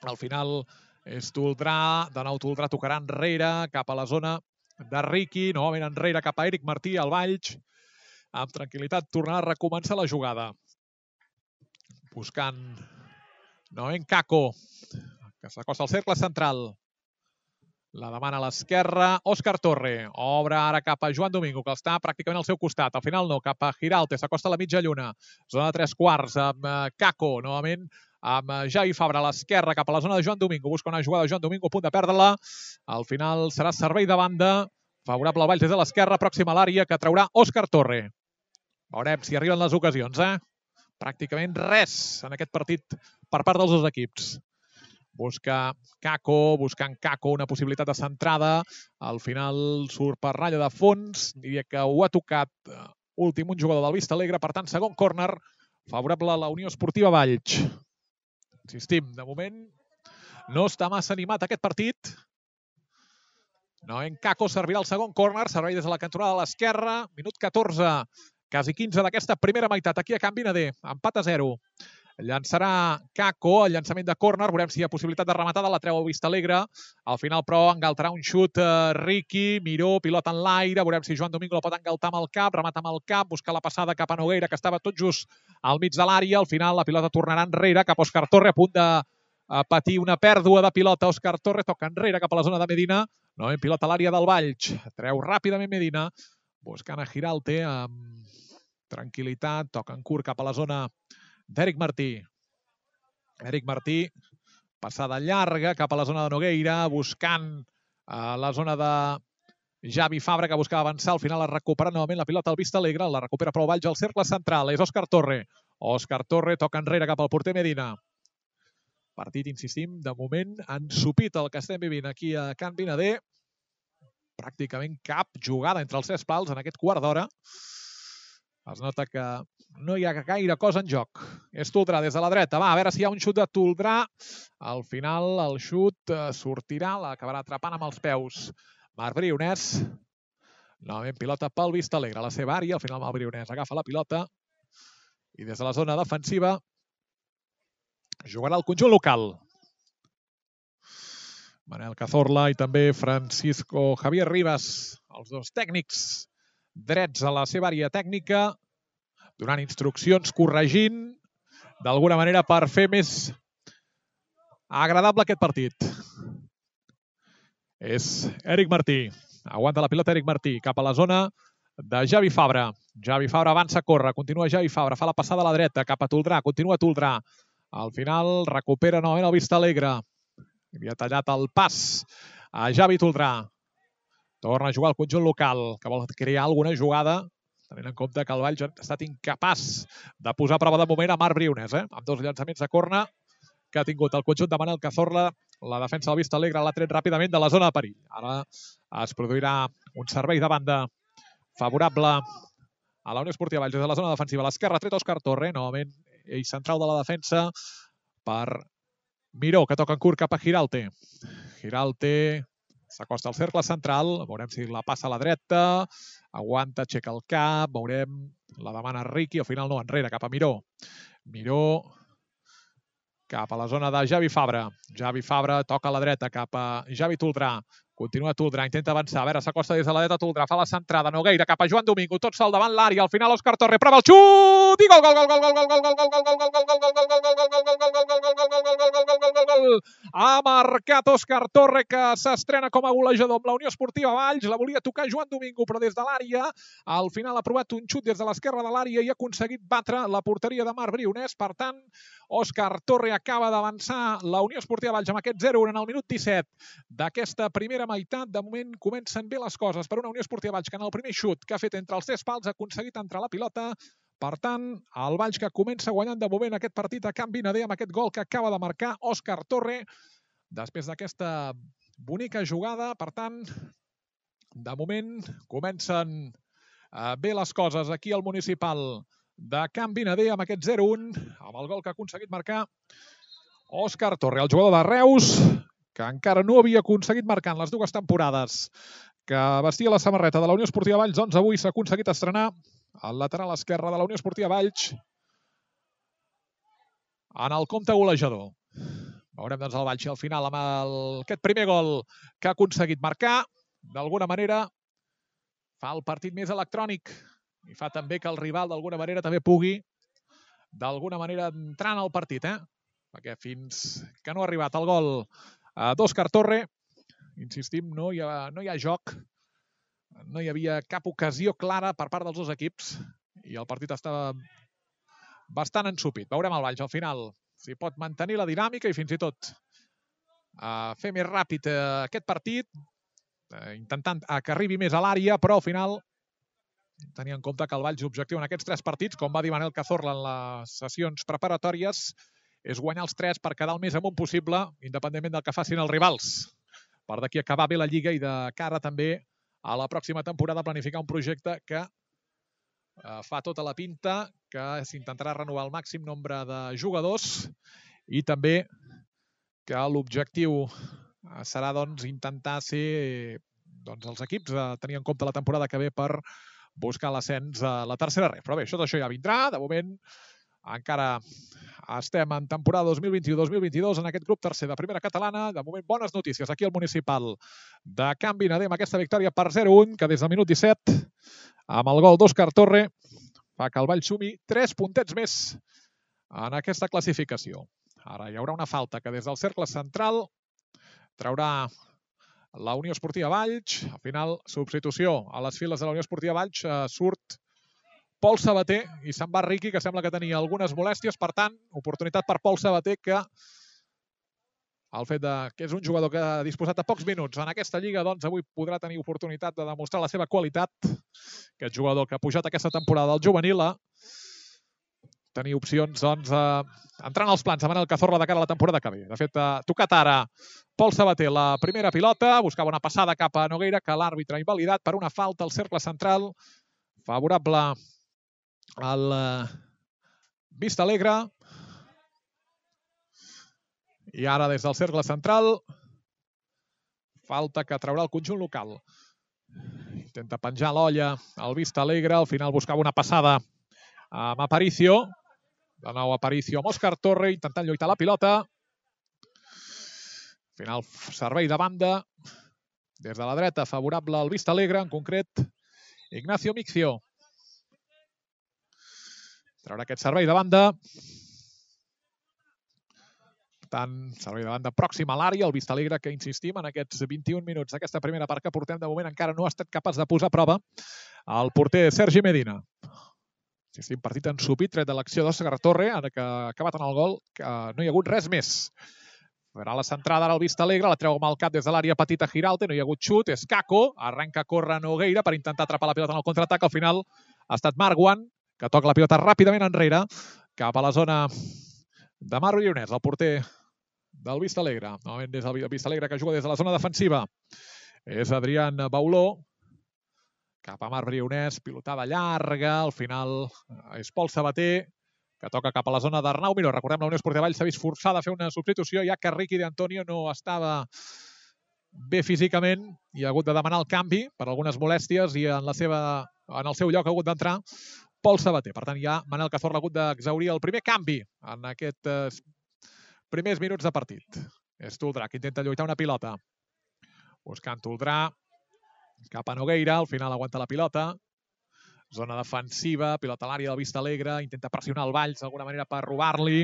Al final és Toldrà, de nou Toldrà tocarà enrere cap a la zona de Riqui, novament enrere cap a Eric Martí, al Valls. Amb tranquil·litat tornarà a recomençar la jugada. Buscant novament Caco, que s'acosta al cercle central. La demana a l'esquerra, Òscar Torre. Obre ara cap a Joan Domingo, que està pràcticament al seu costat. Al final no, cap a Giralte, s'acosta a la mitja lluna. Zona de tres quarts, amb Caco, novament amb Javi Fabra a l'esquerra, cap a la zona de Joan Domingo. Busca una jugada de Joan Domingo, a punt de perdre-la. Al final serà servei de banda, favorable al Valls des de l'esquerra, pròxima a l'àrea, que traurà Òscar Torre. Veurem si arriben les ocasions, eh? Pràcticament res en aquest partit per part dels dos equips. busca Kako, buscant Kako una possibilitat de centrada. Al final surt per ratlla de fons. Diria que ho ha tocat últim un jugador del Vista Alegre. Per tant, segon córner favorable a la Unió Esportiva Valls. Insistim, de moment no està massa animat aquest partit. Noen Kako servirà el segon córner. Servei des de la cantonada de l'esquerra. Minut catorze, quasi quinze d'aquesta primera meitat. Aquí a Can Vinader, empat a zero. Llançarà Kako, el llançament de córner. Veurem si hi ha possibilitat de rematada. La treu a Vista Alegre. Al final, però, engaltarà un xut eh, Riqui. Miró, pilota en l'aire. Veurem si Joan Domingo la pot engaltar amb el cap. Remata amb el cap. Busca la passada cap a Nogueira, que estava tot just al mig de l'àrea. Al final, la pilota tornarà enrere cap a Òscar Torre, a punt de a patir una pèrdua de pilota. Òscar Torre toca enrere cap a la zona de Medina. No, en pilota a l'àrea del Valls. Treu ràpidament Medina, buscant a Giralte amb tranquil·litat. Toca en curt cap a la zona d'Eric Martí. Eric Martí, passada llarga cap a la zona de Nogueira, buscant a la zona de Javi Fabra, que buscava avançar. Al final la recupera novament la pilota al Vista Alegre. La recupera però el Valls al cercle central. És Òscar Torre. Òscar Torre toca enrere cap al porter Medina. Partit, insistim, de moment ensupit el que estem vivint aquí a Can Vinader. Pràcticament cap jugada entre els tres pals en aquest quart d'hora. Es nota que no hi ha gaire cosa en joc. És Toldrà des de la dreta. Va, a veure si hi ha un xut de Toldrà. Al final el xut sortirà, l'acabarà atrapant amb els peus Marc Brionès. Novament pilota pel Vista Alegre a la seva àrea. Al final Marc Brionès agafa la pilota i des de la zona defensiva jugarà el conjunt local. Manel Cazorla i també Francisco Javier Rivas, els dos tècnics drets a la seva àrea tècnica, donant instruccions, corregint, d'alguna manera per fer més agradable aquest partit. És Eric Martí. Aguanta la pilota Eric Martí cap a la zona de Javi Fabra. Javi Fabra avança, corre, continua Javi Fabra, fa la passada a la dreta cap a Toldrà, continua Toldrà. Al final recupera novament el Vista Alegre. Havia tallat el pas a Javi Toldrà. Torna a jugar el conjunt local, que vol crear alguna jugada, tenint en compte que el Valls ha estat incapaç de posar a prova de moment a Marc Brionès, eh? amb dos llançaments de corna que ha tingut el conjunt de Manel Cazorla. La defensa del Vista Alegre l'ha tret ràpidament de la zona de perill. Ara es produirà un servei de banda favorable a la Unió Esportiva Valls des de la zona defensiva. A l'esquerra tret Òscar Torre, novament ell central de la defensa per Miró, que toca en curt cap a Giralte. Giralte s'acosta al cercle central, veurem si la passa a la dreta, aguanta, aixeca el cap, veurem, la demana Riqui, al final no, enrere, cap a Miró. Miró cap a la zona de Javi Fabra. Javi Fabra toca a la dreta cap a Javi Toldrà. Continua Toldrà, intenta avançar. A veure, s'acosta des de la dreta Toldrà, fa la centrada. Nogueira cap a Joan Domingo, tot sol davant l'àrea. Al final Òscar Torre prova el xut i gol, gol, gol, gol, gol, gol, gol, gol, gol, gol, gol, gol, gol, ha marcat Òscar Torre, que s'estrena com a golejador amb la Unió Esportiva Valls. La volia tocar Joan Domingo, però des de l'àrea. Al final ha provat un xut des de l'esquerra de l'àrea i ha aconseguit batre la porteria de Marc Brionès. Per tant, Òscar Torre acaba d'avançar la Unió Esportiva Valls amb aquest zero a un en el minut disset d'aquesta primera meitat. De moment comencen bé les coses per una Unió Esportiva Valls que en el primer xut que ha fet entre els tres pals ha aconseguit entrar la pilota. Per tant, el Valls que comença guanyant de moment aquest partit a Can Vinader amb aquest gol que acaba de marcar Òscar Torre després d'aquesta bonica jugada. Per tant, de moment comencen bé les coses aquí al municipal de Can Vinader amb aquest zero a un, amb el gol que ha aconseguit marcar Òscar Torre, el jugador de Reus, que encara no havia aconseguit marcar en les dues temporades que vestia la samarreta de la Unió Esportiva Valls. Doncs avui s'ha aconseguit estrenar al lateral esquerre de la Unió Esportiva Valls en el compte golejador. Veurem doncs el Valls al final amb el, aquest primer gol que ha aconseguit marcar. D'alguna manera fa el partit més electrònic i fa també que el rival d'alguna manera també pugui d'alguna manera entrar en el partit, eh? Perquè fins que no ha arribat el gol d'Òscar Torre, insistim, no hi ha, no hi ha joc, no hi havia cap ocasió clara per part dels dos equips i el partit estava bastant ensupit. Veurem el Valls al final si pot mantenir la dinàmica i fins i tot uh, fer més ràpid uh, aquest partit, uh, intentant uh, que arribi més a l'àrea, però al final tenir en compte que el Valls objectiu en aquests tres partits, com va dir Manel Cazorla en les sessions preparatòries, és guanyar els tres per quedar el més amunt possible, independentment del que facin els rivals. Per d'aquí acabar bé la Lliga i de cara també a la pròxima temporada planificar un projecte que eh, fa tota la pinta, que s'intentarà renovar el màxim nombre de jugadors i també que l'objectiu serà doncs, intentar ser doncs, els equips a tenir en compte la temporada que ve per buscar l'ascens a la tercera ref. Però bé, això d'això ja vindrà. De moment encara estem en temporada dos mil vint-i-u dos mil vint-i-dos en aquest grup tercer de primera catalana. De moment, bones notícies aquí al municipal de Can Vinader amb aquesta victòria per zero a un, que des del minut disset, amb el gol d'Òscar Torre, fa que el Vall sumi tres puntets més en aquesta classificació. Ara hi haurà una falta que des del cercle central traurà la Unió Esportiva Valls. Al final, substitució a les files de la Unió Esportiva Valls, eh, surt Pol Sabater i se'n va Riqui, que sembla que tenia algunes molèsties. Per tant, oportunitat per Pol Sabater, que el fet de, que és un jugador que ha disposat de pocs minuts en aquesta lliga, doncs avui podrà tenir oportunitat de demostrar la seva qualitat. Aquest jugador que ha pujat aquesta temporada al juvenil a tenir opcions, doncs, eh, entrant als plans de Manel Cazorla de cara a la temporada que ve. De fet, ha tocat ara Pol Sabater la primera pilota, buscava una passada cap a Nogueira, que l'àrbitre ha invalidat per una falta al cercle central, favorable al Vista Alegre. I ara des del cercle central, falta que traurà el conjunt local. Intenta penjar l'olla al Vista Alegre, al final buscava una passada amb Aparicio. De nou Aparicio amb Òscar Torre, intentant lluitar la pilota. Al final, servei de banda. Des de la dreta, favorable al Vista Alegre, en concret, Ignacio Mixio. Traurà aquest servei de banda. Per tant, servei de banda pròxim a l'àrea, el Vista Alegre, que insistim, en aquests vint-i-un minuts d'aquesta primera part que portem, de moment encara no ha estat capaç de posar a prova el porter Sergi Medina. Insistim, partit ensupit, tret de l'acció d'Òscar Torre, ara que ha acabat en el gol, que no hi ha hagut res més. Farà la centrada ara al Vista Alegre, la treu amb el cap des de l'àrea petita Girauta, no hi ha hagut xut, és Caco, arrenca a córrer Nogueira per intentar atrapar la pilota en el contraatac, al final ha estat Marguan, que toca la pilota ràpidament enrere, cap a la zona de Marc Brionès, el porter del Vista Alegre. Novament des del Vista Alegre, que juga des de la zona defensiva. És Adrián Bauló, cap a Marc Brionès, pilotada llarga, al final és Pol Sabater, que toca cap a la zona d'Arnau Miró. Recordem, la Unió Esportiva Valls s'ha vist forçada a fer una substitució, ja que Riqui d'Antonio no estava bé físicament i ha hagut de demanar el canvi per algunes molèsties i en, la seva, en el seu lloc ha hagut d'entrar Pol Sabater. Per tant, ja Manel Cazorla ha hagut d'exaurir el primer canvi en aquests primers minuts de partit. És Toldrà, que intenta lluitar una pilota. Buscant Toldrà, cap a Nogueira, al final aguanta la pilota. Zona defensiva, pilota a l'àrea del Vista Alegre, intenta pressionar el Valls d'alguna manera per robar-li.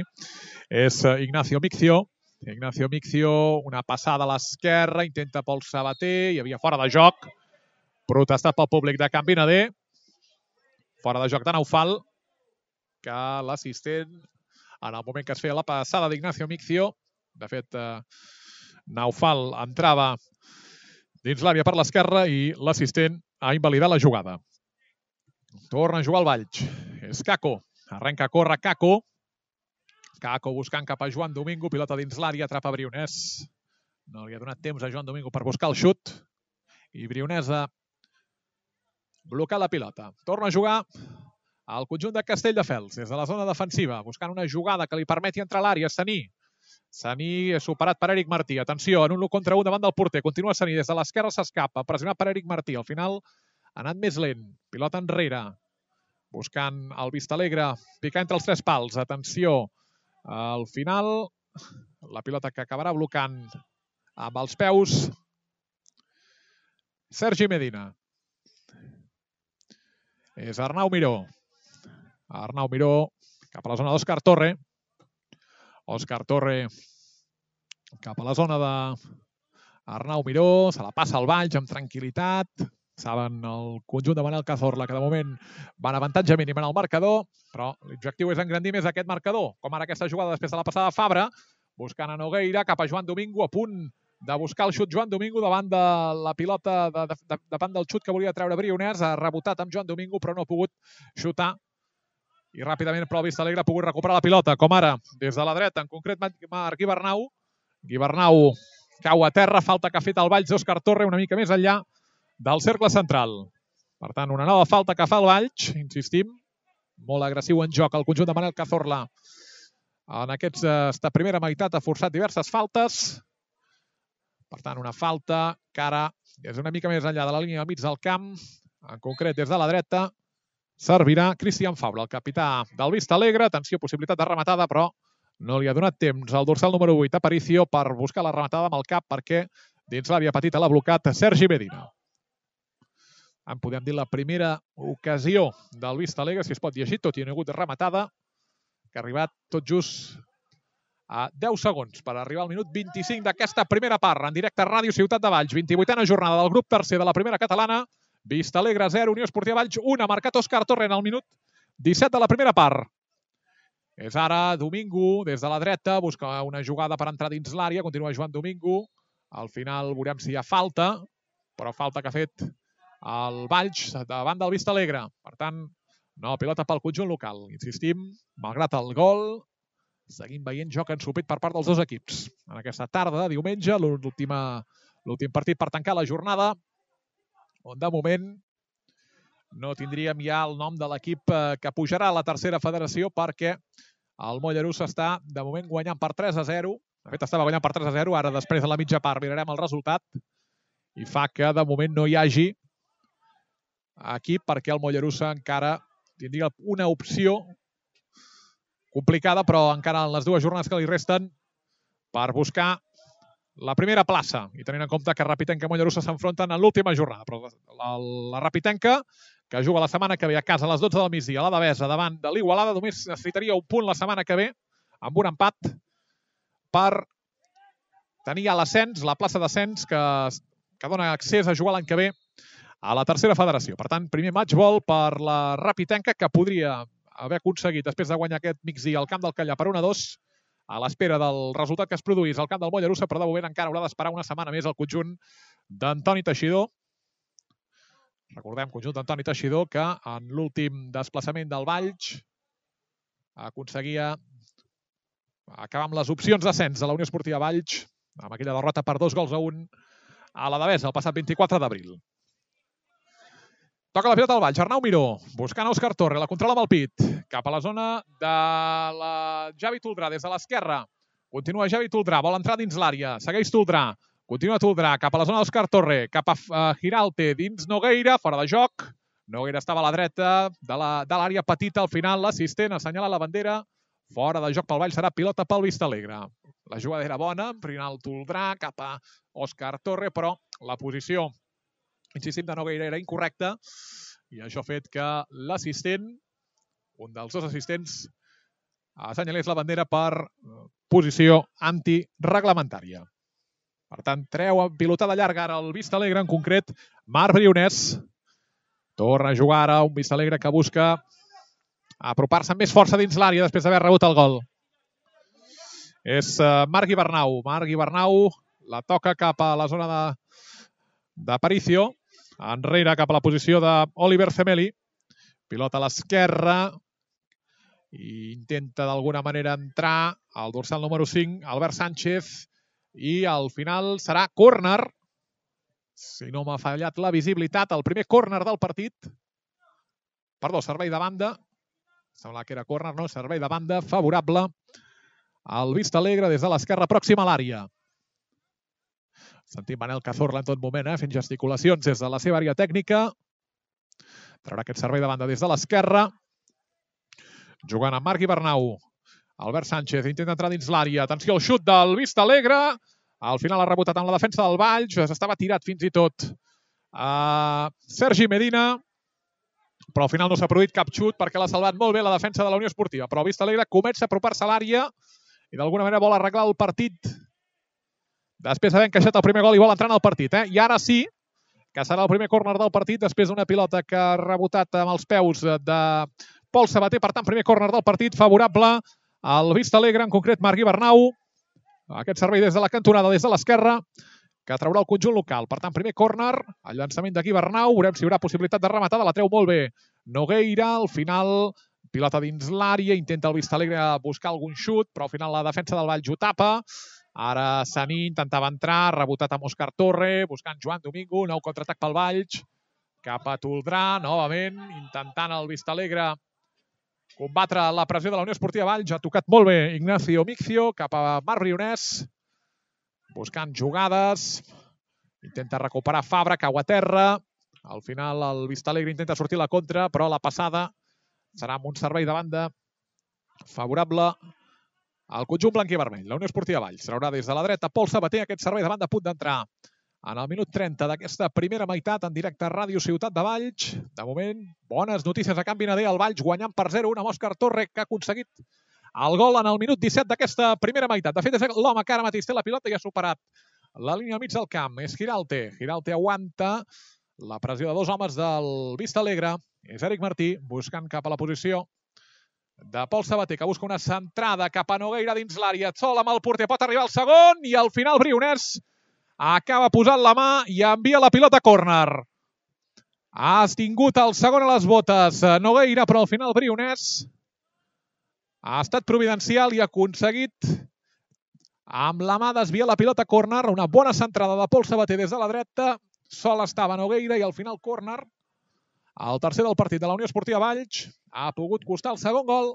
És Ignacio Mixio. Ignacio Mixio, una passada a l'esquerra, intenta Pol Sabater, hi havia fora de joc. Protestat pel públic de Can Vinader. Fora de joc de Naufal, que l'assistent, en el moment que es feia la passada d'Ignacio Mixio, de fet, Naufal entrava dins l'àrea per l'esquerra i l'assistent ha invalidat la jugada. Torna a jugar el Valls. És Caco. Arrenca a córrer Caco. Caco buscant cap a Joan Domingo. Pilota dins l'àrea, atrapa Brionès. No li ha donat temps a Joan Domingo per buscar el xut. I Brionès ha blocat la pilota. Torna a jugar al conjunt de Castelldefels, des de la zona defensiva, buscant una jugada que li permeti entrar a l'àrea. Saní. Saní és superat per Eric Martí. Atenció, en un contra un davant del porter. Continua Saní, des de l'esquerra s'escapa. Pressionat per Eric Martí. Al final ha anat més lent. Pilota enrere. Buscant el Vista Alegre. Picar entre els tres pals. Atenció. Al final, la pilota que acabarà blocant amb els peus Sergi Medina. És Arnau Miró. Arnau Miró cap a la zona d'Òscar Torre. Òscar Torre cap a la zona d'Arnau Miró. Se la passa al Valls amb tranquil·litat. Saben el conjunt de Manel Cazorla que de moment va en avantatge mínim en el marcador, però l'objectiu és engrandir més aquest marcador, com ara aquesta jugada després de la passada de Fabra, buscant a Nogueira, cap a Joan Domingo, a punt de buscar el xut Joan Domingo davant de la pilota, de, de, de, davant del xut que volia treure Brionès, ha rebotat amb Joan Domingo però no ha pogut xutar i ràpidament però el Vista Alegre ha pogut recuperar la pilota, com ara des de la dreta, en concret Marc Guibernau. Guibernau cau a terra, falta que ha fet el Valls d'Òscar Torre una mica més enllà del cercle central. Per tant, una nova falta que fa el Valls, insistim, molt agressiu en joc el conjunt de Manel Cazorla. En aquesta primera meitat ha forçat diverses faltes. Per tant, una falta que ara és una mica més enllà de la línia del mig del camp, en concret des de la dreta, servirà Cristian Fabra, el capità del Vista Alegre. Atenció, possibilitat de rematada, però no li ha donat temps al dorsal número vuit, Aparicio, per buscar la rematada amb el cap, perquè dins l'àrea petita l'ha blocat Sergi Medina. En podem dir la primera ocasió del Vista Alegre, si es pot llegir, tot i no hi ha hagut rematada, que ha arribat tot just a deu segons per arribar al minut vint-i-cinc d'aquesta primera part. En directe a Ràdio Ciutat de Valls, vint-i-vuitena jornada del grup tercer de la primera catalana. Vista Alegre zero, Unió Esportiva Valls un, ha marcat Òscar Torre en el minut disset de la primera part. És ara Domingo, des de la dreta, busca una jugada per entrar dins l'àrea, continua Joan Domingo. Al final veurem si hi ha falta, però falta que ha fet el Valls davant del Vista Alegre. Per tant, no, pilota pel conjunt local. Insistim, malgrat el gol, seguim veient joc ensopit per part dels dos equips. En aquesta tarda de diumenge, l'últim partit per tancar la jornada, on de moment no tindríem ja el nom de l'equip que pujarà a la tercera federació, perquè el Mollerussa està de moment guanyant per tres a zero. De fet, estava guanyant per tres a zero, ara després de la mitja part mirarem el resultat i fa que de moment no hi hagi equip, perquè el Mollerussa encara tindria una opció complicada, però encara en les dues jornades que li resten, per buscar la primera plaça. I tenint en compte que Rapitenca i Mollerussa s'enfronten en l'última jornada. Però la, la Rapitenca, que juga la setmana que ve a casa a les dotze del migdia, a la Devesa, davant de l'Igualada, només necessitaria un punt la setmana que ve, amb un empat, per tenir ja l'ascens, la plaça d'ascens, que, que dona accés a jugar l'any que ve a la tercera federació. Per tant, primer matchball per la Rapitenca, que podria haver aconseguit, després de guanyar aquest migdia al camp del Callà per un a dos, a l'espera del resultat que es produís al camp del Mollerussa, però de moment encara haurà d'esperar una setmana més el conjunt d'Antoni Teixidor. Recordem, conjunt d'Antoni Teixidor, que en l'últim desplaçament del Valls aconseguia acabar amb les opcions d'ascens de la Unió Esportiva Valls, amb aquella derrota per dos gols a un a la Devesa el passat vint-i-quatre d'abril. Toca la pilota al Valls, Arnau Miró, buscant Òscar Torre, la controla amb el pit, cap a la zona de la Javi Toldrà, des de l'esquerra. Continua Javi Toldrà, vol entrar dins l'àrea, segueix Toldrà, continua Toldrà, cap a la zona d'Òscar Torre, cap a Giralte, dins Nogueira, fora de joc. Nogueira estava a la dreta de l'àrea petita, al final l'assistent assenyala la bandera, fora de joc pel Valls, serà pilota pel Vista Alegre. La jugada era bona, Rinald Toldrà, cap a Òscar Torre, però la posició, insistim, de Nogueira era incorrecta i això ha fet que l'assistent, un dels dos assistents, assenyalés la bandera per posició antireglamentària. Per tant, treu a pilotada llarga ara el Vista Alegre, en concret Marc Brionès. Torna a jugar ara un Vista Alegre que busca apropar-se amb més força dins l'àrea després d'haver rebut el gol. És Marc Guibernau. Marc Guibernau la toca cap a la zona d'Aparicio, enrere cap a la posició d'Oliver Zemeli. Pilota a l'esquerra i intenta d'alguna manera entrar al dorsal número cinc, Albert Sánchez, i al final serà córner, si no m'ha fallat la visibilitat, el primer córner del partit. Perdó, servei de banda. Sembla que era córner, no? Servei de banda favorable al Vista Alegre des de l'esquerra pròxima a l'àrea. Sentim Manel Cazorla en tot moment, eh? Fent gesticulacions des de la seva àrea tècnica. Traurà aquest servei de banda des de l'esquerra. Jugant amb Marc Guibernau. Albert Sánchez intenta entrar dins l'àrea. Atenció al xut del Vista Alegre. Al final ha rebotat amb la defensa del Valls. Estava tirat fins i tot a Sergi Medina. Però al final no s'ha produït cap xut perquè l'ha salvat molt bé la defensa de la Unió Esportiva. Però el Vista Alegre comença a apropar-se a l'àrea i d'alguna manera vol arreglar el partit després d'haver encaixat el primer gol i vol entrar en el partit. Eh? I ara sí, que serà el primer córner del partit després d'una pilota que ha rebotat amb els peus de Pol Sabater. Per tant, primer córner del partit favorable al Vista Alegre, en concret Marc Guibernau. Aquest servei des de la cantonada, des de l'esquerra, que traurà el conjunt local. Per tant, primer córner, el llançament de Guibernau. Veurem si hi haurà possibilitat de rematada. La treu molt bé Nogueira. Al final pilota dins l'àrea, intenta el Vistalegre buscar algun xut, però al final la defensa del Valls ho tapa. Ara Saní intentava entrar, rebotat amb Òscar Torre, buscant Joan Domingo, nou contraatac pel Valls. Cap a Toldrà, novament, intentant el Vistalegre combatre la pressió de la Unió Esportiva Valls. Ha tocat molt bé Ignacio Mixio, cap a Marc Brionès, buscant jugades. Intenta recuperar Fabra, cau a terra. Al final el Vistalegre intenta sortir la contra, però la passada serà amb un servei de banda favorable al conjunt blanc i vermell. La Unió Esportiva Valls traurà des de la dreta Pol Sabater, aquest servei de banda a punt d'entrar en el minut trenta d'aquesta primera meitat en directe a Ràdio Ciutat de Valls. De moment, bones notícies a Can Vinader, el Valls guanyant per zero un amb Òscar Torre, que ha aconseguit el gol en el minut disset d'aquesta primera meitat. De fet, és l'home que ara mateix té la pilota i ha superat la línia al mig del camp. És Giralte. Giralte aguanta la pressió de dos homes del Vistalegre. És Eric Martí buscant cap a la posició de Pol Sabater, que busca una centrada cap a Nogueira dins l'àrea. Sol amb el porter, pot arribar al segon i al final Brionès acaba posant la mà i envia la pilota a córner. Ha estingut el segon a les botes Nogueira, però al final Brionès ha estat providencial i ha aconseguit amb la mà desviar la pilota a córner. Una bona centrada de Pol Sabater des de la dreta. Sol estava Nogueira i al final córner. El tercer del partit de la Unió Esportiva Valls ha pogut costar el segon gol.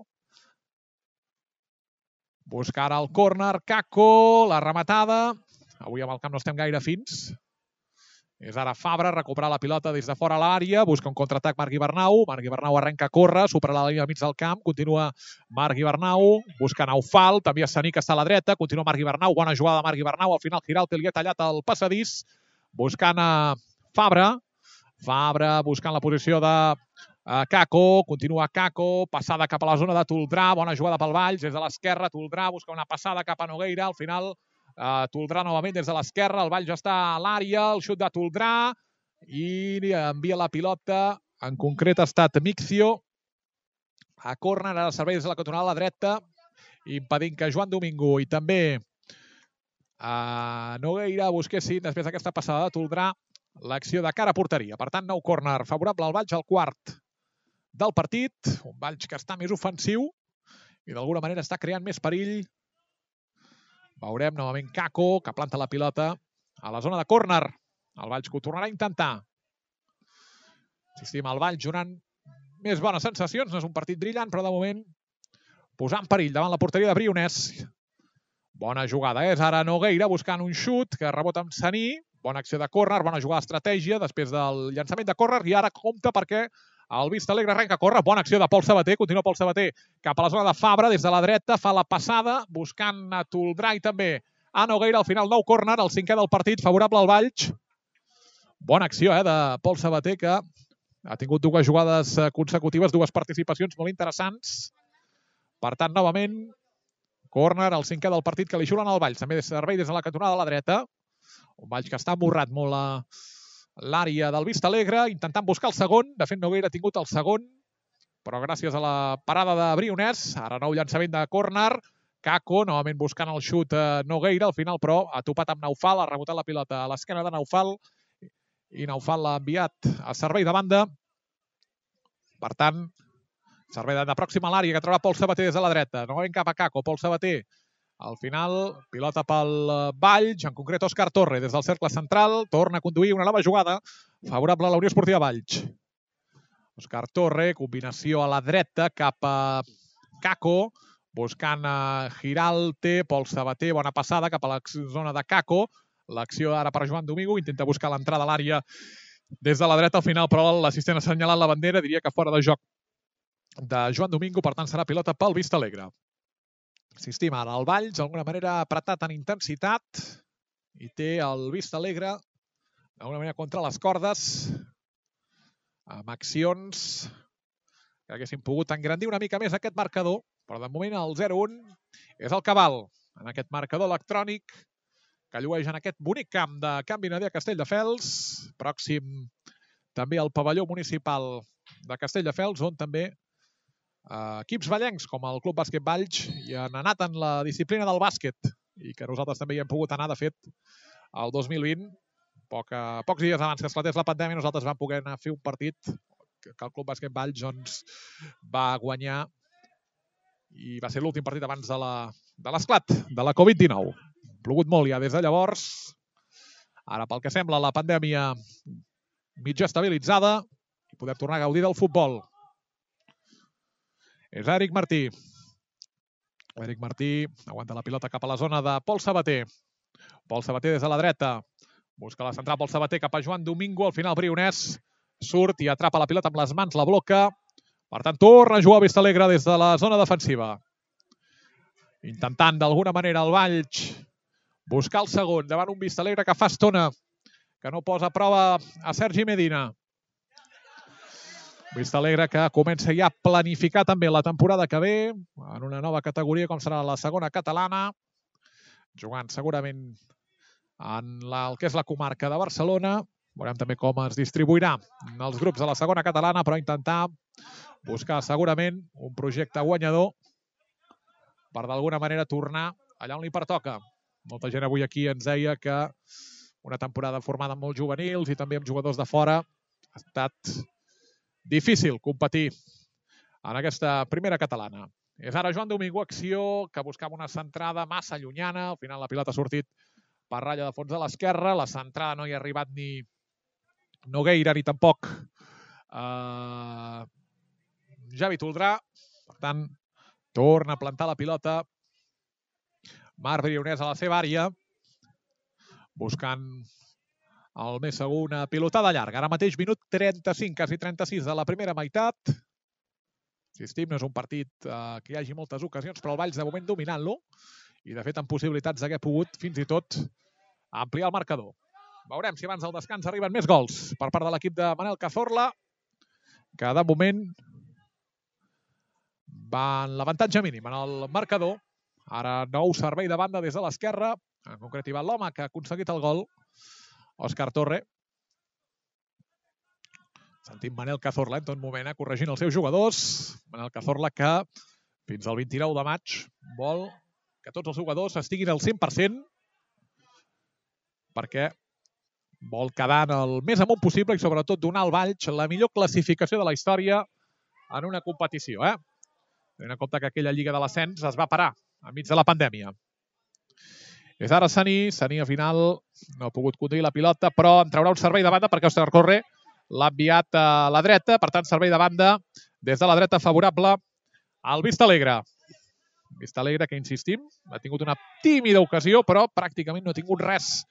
Busca ara el córner, Caco, la rematada. Avui amb el camp no estem gaire fins. És ara Fabra, recuperar la pilota des de fora a l'àrea, busca un contraatac Marc Ibernau. Marc Ibernau arrenca a córrer, supera la línia al mig del camp, continua Marc Ibernau, busca Naufal, també Saní, que està a la dreta, continua Marc Ibernau, bona jugada de Marc Ibernau, al final Giralte li ha tallat el passadís, buscant a Fabra. Fabra buscant la posició de Caco, continua Caco, passada cap a la zona de Toldrà, bona jugada pel Valls, des de l'esquerra, Toldrà busca una passada cap a Nogueira, al final Toldrà novament des de l'esquerra, el Valls està a l'àrea, el xut de Toldrà i envia la pilota, en concret ha estat Mixio, a córner, ara servei des de la cantonada a la dreta, impedint que Joan Domingo i també Nogueira busquessin, després d'aquesta passada de Toldrà, l'acció de cara a porteria. Per tant, nou córner favorable al Valls, al quart del partit. Un Valls que està més ofensiu i d'alguna manera està creant més perill. Veurem novament Caco, que planta la pilota a la zona de córner. El Valls que ho tornarà a intentar. Insistim, el Valls donant més bones sensacions. No és un partit brillant, però de moment posant perill davant la porteria de Brionès. Bona jugada, és ara Nogueira buscant un xut que rebota amb Saní. Bona acció de córner, bona jugada d'estratègia després del llançament de córner i ara compta perquè el Vistalegre arrenca a córrer. Bona acció de Pol Sabater, continua Pol Sabater cap a la zona de Fabra, des de la dreta, fa la passada buscant a Toldrà i també a Nogueira. Al final nou córner, el cinquè del partit, favorable al Valls. Bona acció eh, de Pol Sabater, que ha tingut dues jugades consecutives, dues participacions molt interessants. Per tant, novament, córner, el cinquè del partit que li xulen al Valls. També servei des de la cantonada de la dreta. Un Valls que està emborrat molt a l'àrea del Vistalegre, intentant buscar el segon. De fet, Nogueira ha tingut el segon, però gràcies a la parada de Brionès, ara nou llançament de córner, Caco, novament buscant el xut Nogueira, al final, però ha topat amb Naufal, ha rebotat la pilota a l'esquena de Naufal, i Naufal l'ha enviat a servei de banda. Per tant, servei de banda pròxima a l'àrea, que troba Pol Sabater des de la dreta. Novament cap a Caco, Pol Sabater. Al final, pilota pel Valls, en concret Òscar Torre, des del cercle central, torna a conduir una nova jugada favorable a la Unió Esportiva Valls. Òscar Torre, combinació a la dreta cap a Caco, buscant a Giralte, Pol Sabater, bona passada cap a la zona de Caco. L'acció ara per Joan Domingo, intenta buscar l'entrada a l'àrea des de la dreta, al final, però l'assistent ha assenyalat la bandera, diria que fora de joc de Joan Domingo, per tant serà pilota pel Vistalegre. Insistim, ara el Valls, d'alguna manera apretat en intensitat i té el Vistalegre d'alguna manera contra les cordes amb accions que haguessin pogut engrandir una mica més aquest marcador, però de moment el zero un és el cabal en aquest marcador electrònic que llueix en aquest bonic camp de Can Vinader a Castelldefels, pròxim també al pavelló municipal de Castelldefels, on també Uh, equips vallencs com el Club Bàsquet Valls hi han anat en la disciplina del bàsquet i que nosaltres també hi hem pogut anar, de fet, el dos mil vint, poc, uh, pocs dies abans que esclatés la pandèmia, nosaltres vam poder anar a fer un partit que el Club Bàsquet Valls doncs, va guanyar i va ser l'últim partit abans de l'esclat de la Covid dinou. Plogut molt ja des de llavors. Ara, pel que sembla, la pandèmia mitja estabilitzada i podem tornar a gaudir del futbol. És Eric Martí. Eric Martí aguanta la pilota cap a la zona de Pol Sabater. Pol Sabater des de la dreta. Busca la central Pol Sabater cap a Joan Domingo. Al final Brionès surt i atrapa la pilota amb les mans, la bloca. Per tant, torna a jugar Vistalegre des de la zona defensiva. Intentant d'alguna manera el Valls buscar el segon davant un Vistalegre que fa estona que no posa a prova a Sergi Medina. Vistalegre que comença ja a planificar també la temporada que ve en una nova categoria com serà la segona catalana, jugant segurament en la, el que és la comarca de Barcelona. Veurem també com es distribuirà en els grups de la segona catalana, però intentar buscar segurament un projecte guanyador per d'alguna manera tornar allà on li pertoca. Molta gent avui aquí ens deia que una temporada formada amb molts juvenils i també amb jugadors de fora ha estat difícil competir en aquesta primera catalana. És ara Joan Domingo, acció que buscava una centrada massa llunyana. Al final la pilota ha sortit per ratlla de fons de l'esquerra. La centrada no hi ha arribat ni Nogueira ni tampoc eh, Javi Toldrà. Per tant, torna a plantar la pilota Marc Brionès a la seva àrea, buscant el més segur una pilotada llarga. Ara mateix minut trenta-cinc, quasi trenta-sis de la primera meitat. Insistim, no és un partit eh, que hi hagi moltes ocasions, però el Valls de moment dominant-lo i de fet amb possibilitats d'haver pogut fins i tot ampliar el marcador. Veurem si abans del descans arriben més gols per part de l'equip de Manel Cazorla, que de moment va en l'avantatge mínim en el marcador. Ara nou servei de banda des de l'esquerra, en concret hi va l'home que ha aconseguit el gol, Òscar Torre. Sentim Manel Cazorla en tot moment eh, corregint els seus jugadors. Manel Cazorla que fins al vint-i-nou de maig vol que tots els jugadors estiguin al cent per cent perquè vol quedar en el més amunt possible i sobretot donar al Valls la millor classificació de la història en una competició. Eh? Tenint en compte que aquella Lliga de l'Ascens es va parar enmig de la pandèmia. És ara Saní. Saní al final no ha pogut conduir la pilota, però en traurà un servei de banda perquè Òscar Torre l'ha enviat a la dreta. Per tant, servei de banda des de la dreta favorable al Vistalegre. Vistalegre que, insistim, ha tingut una tímida ocasió, però pràcticament no ha tingut res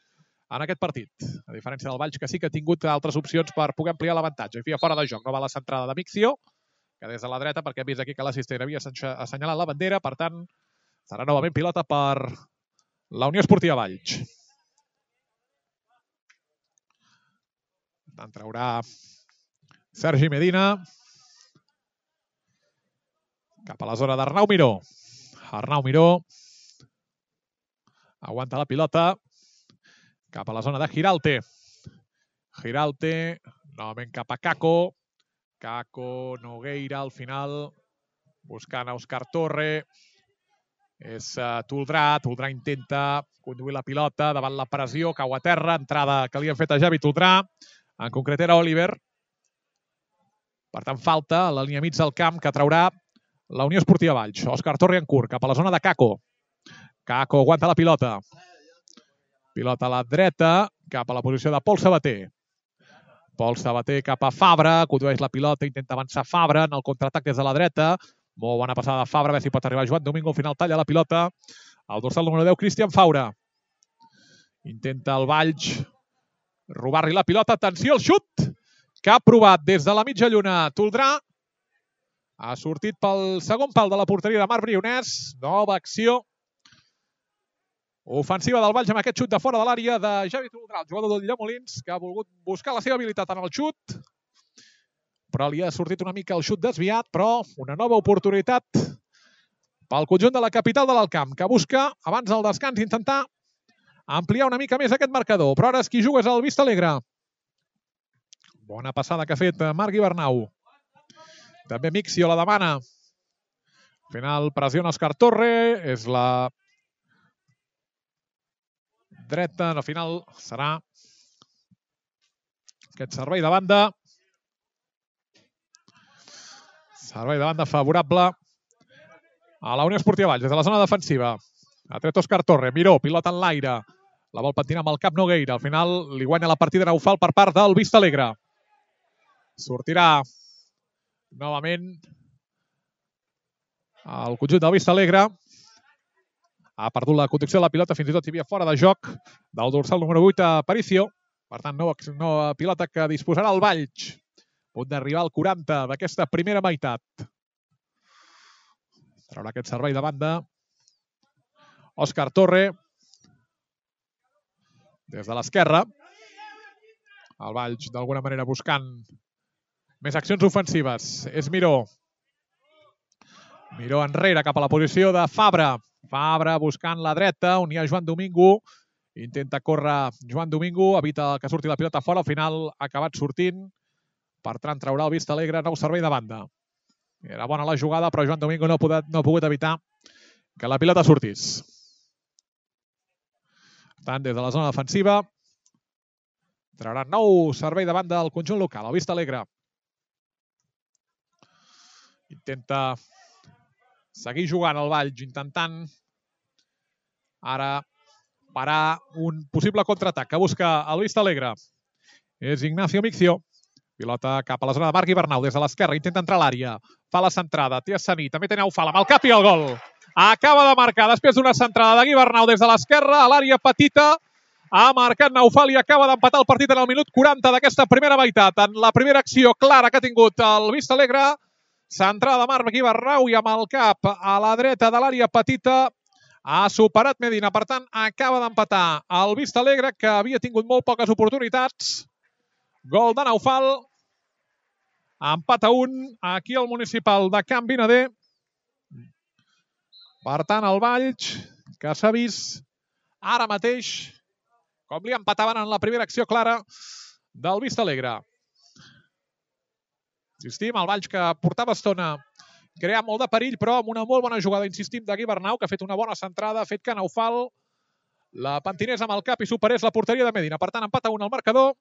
en aquest partit. A diferència del Valls, que sí que ha tingut altres opcions per poder ampliar l'avantatge. I fia fora de joc. No va la centrada de Mixio, que des de la dreta, perquè hem vist aquí que l'assistent havia assenyalat la bandera. Per tant, serà novament pilota per la Unió Esportiva Valls. En traurà Sergi Medina cap a la zona d'Arnau Miró. Arnau Miró aguanta la pilota cap a la zona de Giralte. Giralte novament cap a Caco. Caco, Nogueira al final buscant a Òscar Torre. És uh, Toldrà. Toldrà intenta conduir la pilota davant la pressió, cau a terra, entrada que li han fet a Javi Toldrà. En concret era Oliver. Per tant, falta a la línia mig del camp que traurà la Unió Esportiva Valls. Òscar Torre en curt, cap a la zona de Caco. Caco aguanta la pilota. Pilota a la dreta, cap a la posició de Pol Sabater. Pol Sabater cap a Fabra, condueix la pilota, intenta avançar Fabra en el contraatac des de la dreta. Molt bona passada de Fabra, a veure si pot arribar Joan Domingo. Al final talla la pilota. El dorsal número deu, Cristian Faura. Intenta el Valls robar-li la pilota. Atenció al xut que ha provat des de la mitja lluna Toldrà. Ha sortit pel segon pal de la porteria de Marc Brionès. Nova acció ofensiva del Valls amb aquest xut de fora de l'àrea de Javi Toldrà, el jugador del Llemolins, que ha volgut buscar la seva habilitat en el xut, però li ha sortit una mica el xut desviat, però una nova oportunitat pel conjunt de la capital de l'Alcamp, que busca, abans del descans, intentar ampliar una mica més aquest marcador. Però ara qui juga és el Vistalegre. Bona passada que ha fet Marc Ibernau. També Mixio la demana. Al final pressiona Òscar Torre. És la dreta. Al final serà aquest servei de banda Servei de banda favorable a la Unió Esportiva Valls, des de la zona defensiva. Ha tret Òscar Torre, Miró, pilota en l'aire. La vol patinar amb el cap Nogueira. Al final li guanya la partida Naufal per part del Vista Alegre. Sortirà novament el conjunt del Vista Alegre. Ha perdut la conducció de la pilota, fins i tot hi havia fora de joc del dorsal número vuit a Aparicio. Per tant, no, no pilota que disposarà el Valls. A punt d'arribar al quaranta d'aquesta primera meitat. Traurà aquest servei de banda Òscar Torre. Des de l'esquerra. El Valls, d'alguna manera, buscant més accions ofensives. És Miró. Miró enrere cap a la posició de Fabra. Fabra buscant la dreta, on hi ha Joan Domingo. Intenta córrer Joan Domingo, evita que surti la pilota fora. Al final ha acabat sortint. Per tant, traurà el Vista Alegre nou servei de banda. Era bona la jugada, però Joan Domingo no ha pogut, no ha pogut evitar que la pilota sortís. Per tant, des de la zona defensiva, traurà nou servei de banda al conjunt local, el Vista Alegre. Intenta seguir jugant el Valls, intentant ara parar un possible contraatac que busca el Vista Alegre. És Ignacio Miccio. Pilota cap a la zona de Marc Ibernau, des de l'esquerra, intenta entrar a l'àrea. Fa la centrada, té Saní, també té Naufal, amb el cap i el gol. Acaba de marcar, després d'una centrada de Ibernau des de l'esquerra, a l'àrea petita. Ha marcat Naufal i acaba d'empatar el partit en el minut quaranta d'aquesta primera meitat. En la primera acció clara que ha tingut el Vista Alegre. Centrada de Marc Ibernau i amb el cap a la dreta de l'àrea petita. Ha superat Medina, per tant, acaba d'empatar el Vista Alegre, que havia tingut molt poques oportunitats. Gol de Naufal. Empat a un aquí al municipal de Can Vinader. Per tant, el Valls, que s'ha vist ara mateix com li empataven en la primera acció clara del Vista Alegre. Insistim, el Valls que portava estona creant molt de perill, però amb una molt bona jugada, insistim, de Ibernau, que ha fet una bona centrada, ha fet que Naufal la pentinés amb el cap i superés la porteria de Medina. Per tant, empat a un al marcador.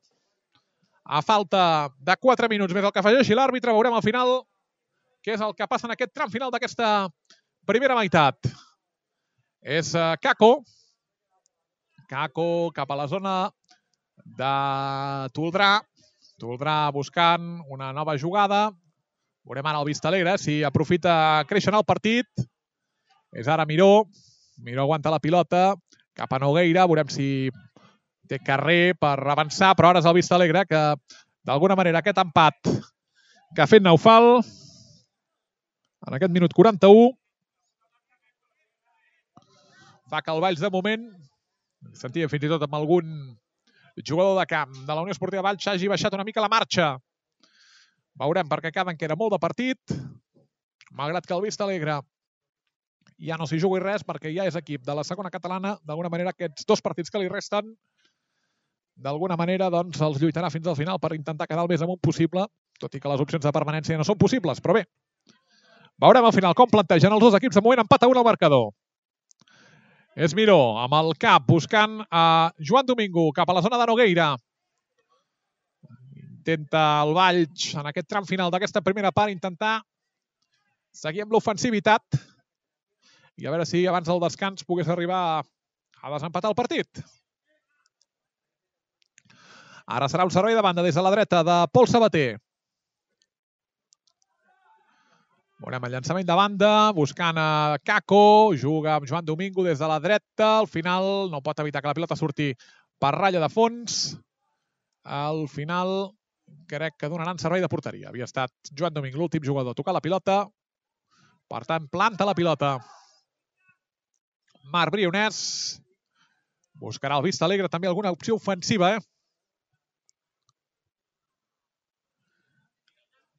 A falta de quatre minuts més el que afegeixi l'àrbitre, veurem al final què és el que passa en aquest tram final d'aquesta primera meitat. És Kako. Kako cap a la zona de Toldrà. Toldrà buscant una nova jugada. Veurem ara el Vista Alegre si aprofita créixer en el partit. És ara Miró. Miró aguanta la pilota cap a Nogueira. Veurem si té carrer per avançar, però ara és el Vista Alegre que, d'alguna manera, aquest empat que ha fet Naufal en aquest minut quaranta-u fa que el Valls, de moment, sentia fins i tot amb algun jugador de camp de la Unió Esportiva Valls, hagi baixat una mica la marxa. Veurem, perquè queden que era molt de partit, malgrat que el Vista Alegre ja no s'hi jugui res, perquè ja és equip de la segona catalana. D'alguna manera, aquests dos partits que li resten, d'alguna manera, doncs, els lluitarà fins al final per intentar quedar el més amunt possible, tot i que les opcions de permanència no són possibles, però bé. Veurem al final com plantegen els dos equips. De moment, empat a un al marcador. És Miró, amb el cap, buscant a Joan Domingo, cap a la zona de Nogueira. Intenta el Valls, en aquest tram final d'aquesta primera part, intentar seguir amb l'ofensivitat i a veure si abans del descans pogués arribar a desempatar el partit. Ara serà un servei de banda des de la dreta de Pol Sabater. Veurem el llançament de banda, buscant a Kako, juga amb Joan Domingo des de la dreta. Al final no pot evitar que la pilota surti per ratlla de fons. Al final crec que donaran servei de porteria. Havia estat Joan Domingo l'últim jugador a tocar la pilota. Per tant, planta la pilota Marc Brionès. Buscarà el Vista Alegre també alguna opció ofensiva, eh?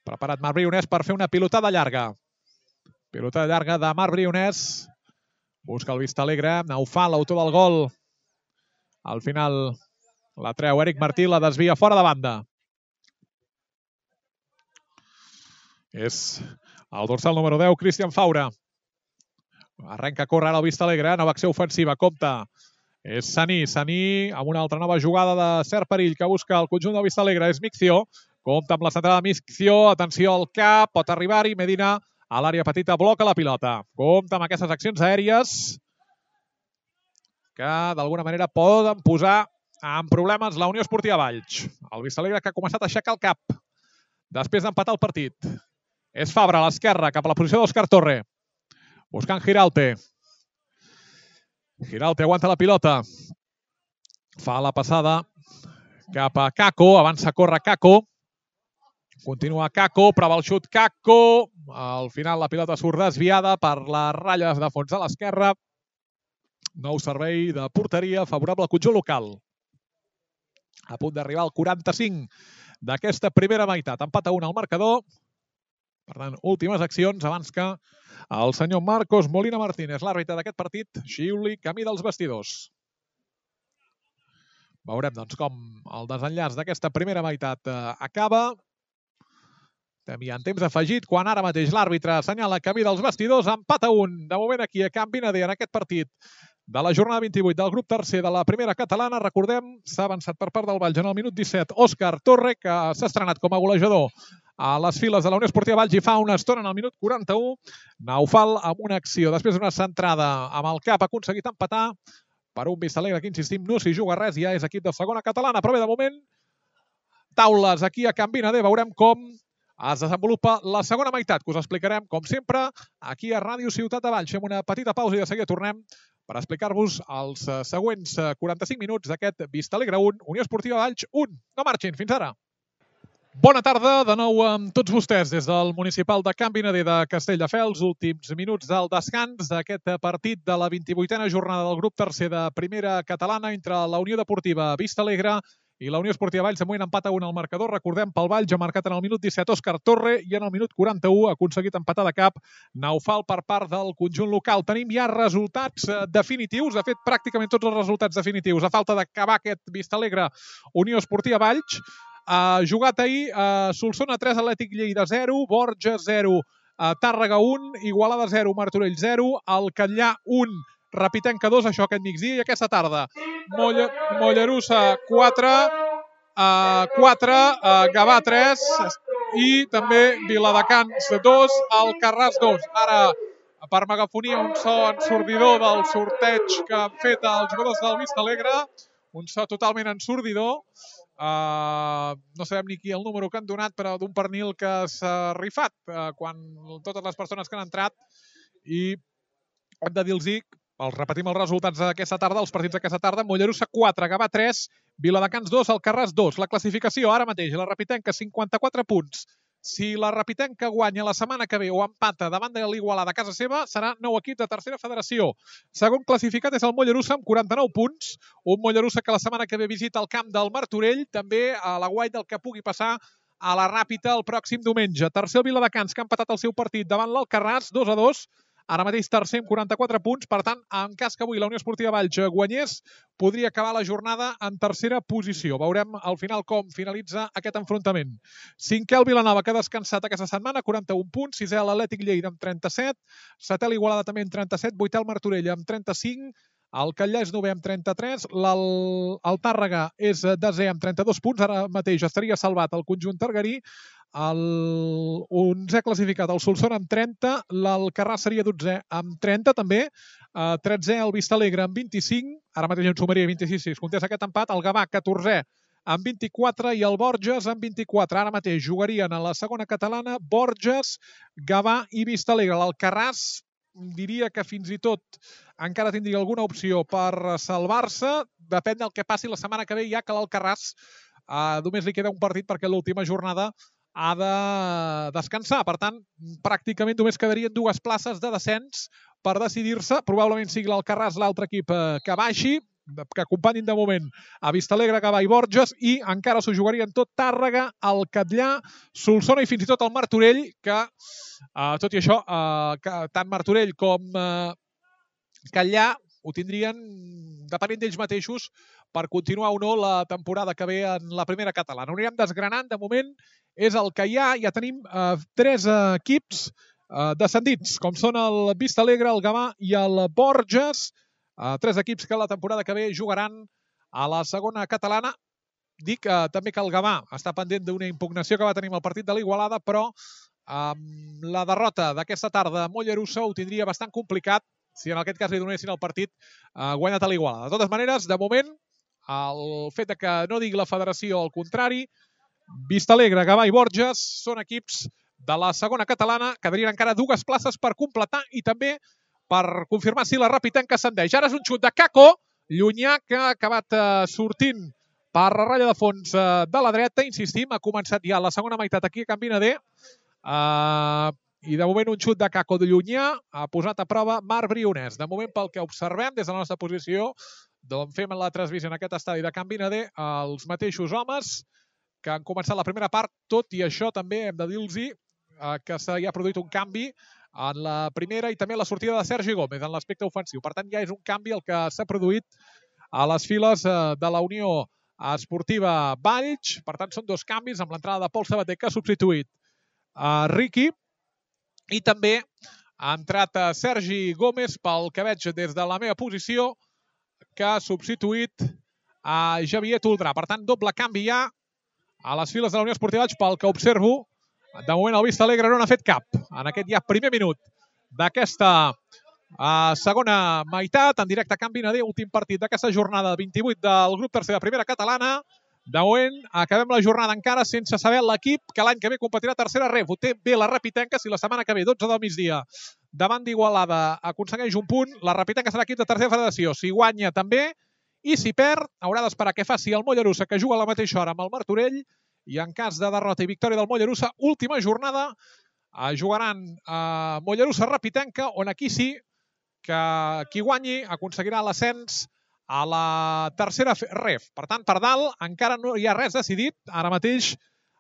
Preparat Marc Brionès per fer una pilotada llarga. Pilotada llarga de Marc Brionès. Busca el Vista Alegre. Naufal, l'autor del gol. Al final la treu Eric Martí, la desvia fora de banda. És el dorsal número deu, Cristian Faura. Arrenca a córrer ara el Vista Alegre. Nova acció ofensiva. Compte. És Saní. Saní amb una altra nova jugada de cert perill que busca el conjunt del Vista Alegre. És Miccio. Compte amb la centrada de Miscció, atenció al cap, pot arribar-hi, Medina a l'àrea petita, bloca la pilota. Compte amb aquestes accions aèries que d'alguna manera poden posar en problemes la Unió Esportiva Valls. El Vistalegre que ha començat a aixecar el cap després d'empatar el partit. És Fabra a l'esquerra, cap a la posició d'Òscar Torre. Buscant Giraulte. Giraulte aguanta la pilota. Fa la passada cap a Kako, avança a córrer Kako. Continua Kako, prova el xut Kako. Al final la pilota surt desviada per les ratlles de fons a l'esquerra. Nou servei de porteria favorable al conjunt local. A punt d'arribar al quaranta-cinc d'aquesta primera meitat. Empat a un al marcador. Per tant, últimes accions abans que el senyor Marcos Molina Martínez, l'àrbitre d'aquest partit, xiuli camí dels vestidors. Veurem doncs, com el desenllaç d'aquesta primera meitat eh, acaba. Estem en temps afegit, quan ara mateix l'àrbitre assenyala camí dels vestidors. Empat a un, de moment aquí a Can Vinader, en aquest partit de la jornada vint-i-vuit del grup tercer de la primera catalana. Recordem, s'ha avançat per part del Valls en el minut disset Òscar Torre, que s'ha estrenat com a golejador a les files de la Unió Esportiva Valls i fa una estona en el minut quaranta-u. Naufal amb una acció, després d'una centrada amb el cap, ha aconseguit empatar per un Vistalegre que, insistim, no s'hi juga res, ja és equip de segona catalana, però bé, de moment, taules aquí a Can Vinader, veurem com es desenvolupa la segona meitat, que us explicarem, com sempre, aquí a Ràdio Ciutat de Valls. Fem una petita pausa i de seguida tornem per explicar-vos els següents quaranta-cinc minuts d'aquest Vistalegre un, Unió Esportiva Valls un. No marxin, fins ara. Bona tarda, de nou amb tots vostès des del municipal de Can Vinader de Castelldefels. Últims minuts del descans d'aquest partit de la vint-i-vuitena jornada del grup tercer de primera catalana entre la Unió Deportiva Vistalegre i la Unió Esportiva Valls. De moment empat a un al marcador. Recordem, pel Valls ha marcat en el minut disset Òscar Torre i en el minut quaranta-u ha aconseguit empatar de cap Naufal per part del conjunt local. Tenim ja resultats definitius, de fet pràcticament tots els resultats definitius. A falta d'acabar aquest Vistalegre Unió Esportiva Valls. Uh, jugat ahir, uh, Solsona tres, Atlètic Lleida zero, Borges zero, uh, Tàrrega un, Igualada zero, Martorell zero, el Catllà un, Rapitenca dos, això aquest migdia, i aquesta tarda Molle, Mollerussa quatre, uh, quatre, uh, Gavà tres i també Viladecans dos, Alcarràs dos. Ara, per megafonia, un so ensordidor del sorteig que han fet els jugadors del Vistalegre, un so totalment ensordidor. Uh, no sabem ni qui el número que han donat, però d'un pernil que s'ha rifat uh, quan totes les persones que han entrat. I hem de dir-los, els repetim els resultats d'aquesta tarda, els partits d'aquesta tarda: Mollerussa quatre, Gavà tres, Viladecans dos, Alcarràs dos. La classificació ara mateix, la Rapitenca cinquanta-quatre punts. Si la Rapitenca guanya la setmana que ve o empata davant de l'Igualada a casa seva, serà nou equip de tercera federació. Segon classificat és el Mollerussa amb quaranta-nou punts. Un Mollerussa que la setmana que ve visita el camp del Martorell, també a la guaita del que pugui passar a la Ràpita el pròxim diumenge. Tercer el Viladecans, que ha empatat el seu partit davant l'Alcarràs, dos a dos. Ara mateix tercer amb quaranta-quatre punts. Per tant, en cas que avui la Unió Esportiva Valls guanyés, podria acabar la jornada en tercera posició. Veurem al final com finalitza aquest enfrontament. Cinquè el Vilanova, que ha descansat aquesta setmana, quaranta-un punts. Sisè l'Atlètic Lleida amb trenta-set. Setè l'Igualada també amb trenta-set. Vuitè el Martorell amb trenta-cinc. El Catllà és novè amb trenta-tres. El, el Tàrrega és desè amb trenta-dos punts. Ara mateix estaria salvat el conjunt targarí. El onzè classificat, el Solsona, amb trenta. L'Alcarràs seria dotzè amb trenta també. Uh, tretzè el Vistalegre amb vint-i-cinc. Ara mateix en sumaria vint-i-sis si es comptés aquest empat. El Gavà, catorzè amb vint-i-quatre, i el Borges amb vint-i-quatre. Ara mateix jugarien a la segona catalana Borges, Gavà i Vistalegre. L'Alcarràs diria que fins i tot encara tindria alguna opció per salvar-se. Depèn del que passi la setmana que ve, ja que l'Alcarràs uh, només li queda un partit perquè l'última jornada ha de descansar. Per tant, pràcticament només quedarien dues places de descens per decidir-se. Probablement sigui l'Alcarràs l'altre equip que baixi, que acompanyin de moment a Vistalegre, Gavà i Borges, i encara s'ho jugarien tot Tàrrega, el Catllà, Solsona i fins i tot el Martorell, que, eh, tot i això, eh, que tant Martorell com eh, Catllà ho tindrien depenent d'ells mateixos per continuar o no la temporada que ve en la primera catalana. Ho anirem desgranant. De moment és el que hi ha. Ja tenim eh, tres equips eh, descendits, com són el Vistalegre, el Gavà i el Borges. Uh, tres equips que la temporada que ve jugaran a la segona catalana. dic eh, també que el Gavà està pendent d'una impugnació que va tenir amb el partit de l'Igualada, però amb la derrota d'aquesta tarda a Mollerussa ho tindria bastant complicat si en aquest cas li donessin el partit eh, guanyat a l'Igualada. De totes maneres, de moment, el fet de que no digui la federació el contrari, Vistalegre, Gavà i Borges són equips de la segona catalana, quedarien encara dues places per completar i també per confirmar si la Rapitenca ascendeix. Ara és un xut de Caco, llunyà, que ha acabat eh, sortint per la ratlla de fons eh, de la dreta. Insistim, ha començat ja la segona meitat aquí a Can Vinader. Uh, I de moment un xut de Caco de llunyà ha posat a prova Marc Brionès. De moment, pel que observem des de la nostra posició, d'on fem la transmissió en aquest estadi de Can Vinader, els mateixos homes que han començat la primera part, tot i això també hem de dir-los eh, que s'hi ha produït un canvi en la primera i també la sortida de Sergi Gómez en l'aspecte ofensiu. Per tant, ja és un canvi el que s'ha produït a les files eh, de la Unió Esportiva Valls. Per tant, són dos canvis amb l'entrada de Pol Sabater, que ha substituït a Riqui, i també ha entrat a Sergi Gómez, pel que veig des de la meva posició, que ha substituït a Javier Toldrà. Per tant, doble canvi ja a les files de la Unió Esportiva Valls, pel que observo. De moment el Vistalegre no n'ha fet cap en aquest ja primer minut d'aquesta uh, segona meitat. En directe a Can Vinader, últim partit d'aquesta jornada vint-i-vuit del grup tercer de primera catalana. De moment acabem la jornada encara sense saber l'equip que l'any que ve competirà a tercera ref. Ho té bé la Rapitenca, si la setmana que ve, dotze del migdia, davant d'Igualada, aconsegueix un punt. La Rapitenca serà equip de tercera federació. Si guanya també, i si perd, haurà d'esperar que faci el Mollerussa, que juga a la mateixa hora amb el Martorell, i en cas de derrota i victòria del Mollerussa, última jornada, eh, jugaran a Mollerussa-Rapitenca, on aquí sí que qui guanyi aconseguirà l'ascens a la tercera ref. Per tant, per dalt encara no hi ha res decidit. Ara mateix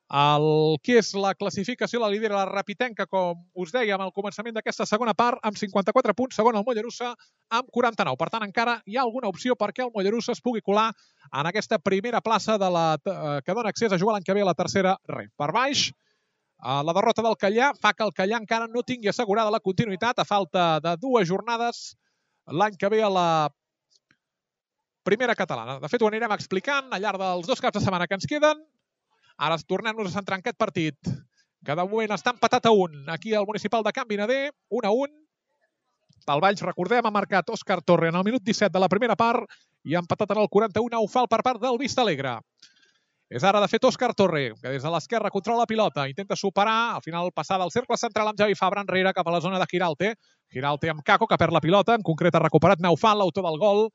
el que és la classificació la lidera la Rapitenca, com us deia al començament d'aquesta segona part, amb cinquanta-quatre punts, segon el Mollerussa amb quaranta-nou. Per tant, encara hi ha alguna opció perquè el Mollerussa es pugui colar en aquesta primera plaça de la, eh, que dona accés a jugar l'any que ve a la tercera ref. Per baix, eh, la derrota del Callà fa que el Callà encara no tingui assegurada la continuïtat a falta de dues jornades l'any que ve a la primera catalana. De fet, ho anirem explicant al llarg dels dos caps de setmana que ens queden. Ara tornem-nos a centrar en aquest partit, que de moment està empatat a un. Aquí al municipal de Can Vinader, un a un. Pel Valls, recordem, ha marcat Òscar Torre en el minut disset de la primera part i ha empatat en el quaranta-u a Ufal per part del Vistalegre. És ara, de fet, Òscar Torre, que des de l'esquerra controla la pilota, intenta superar, al final passada al cercle central amb Javi Fabra enrere cap a la zona de Giralte. Giralte amb Caco, que perd la pilota, en concret ha recuperat Naufal, l'autor del gol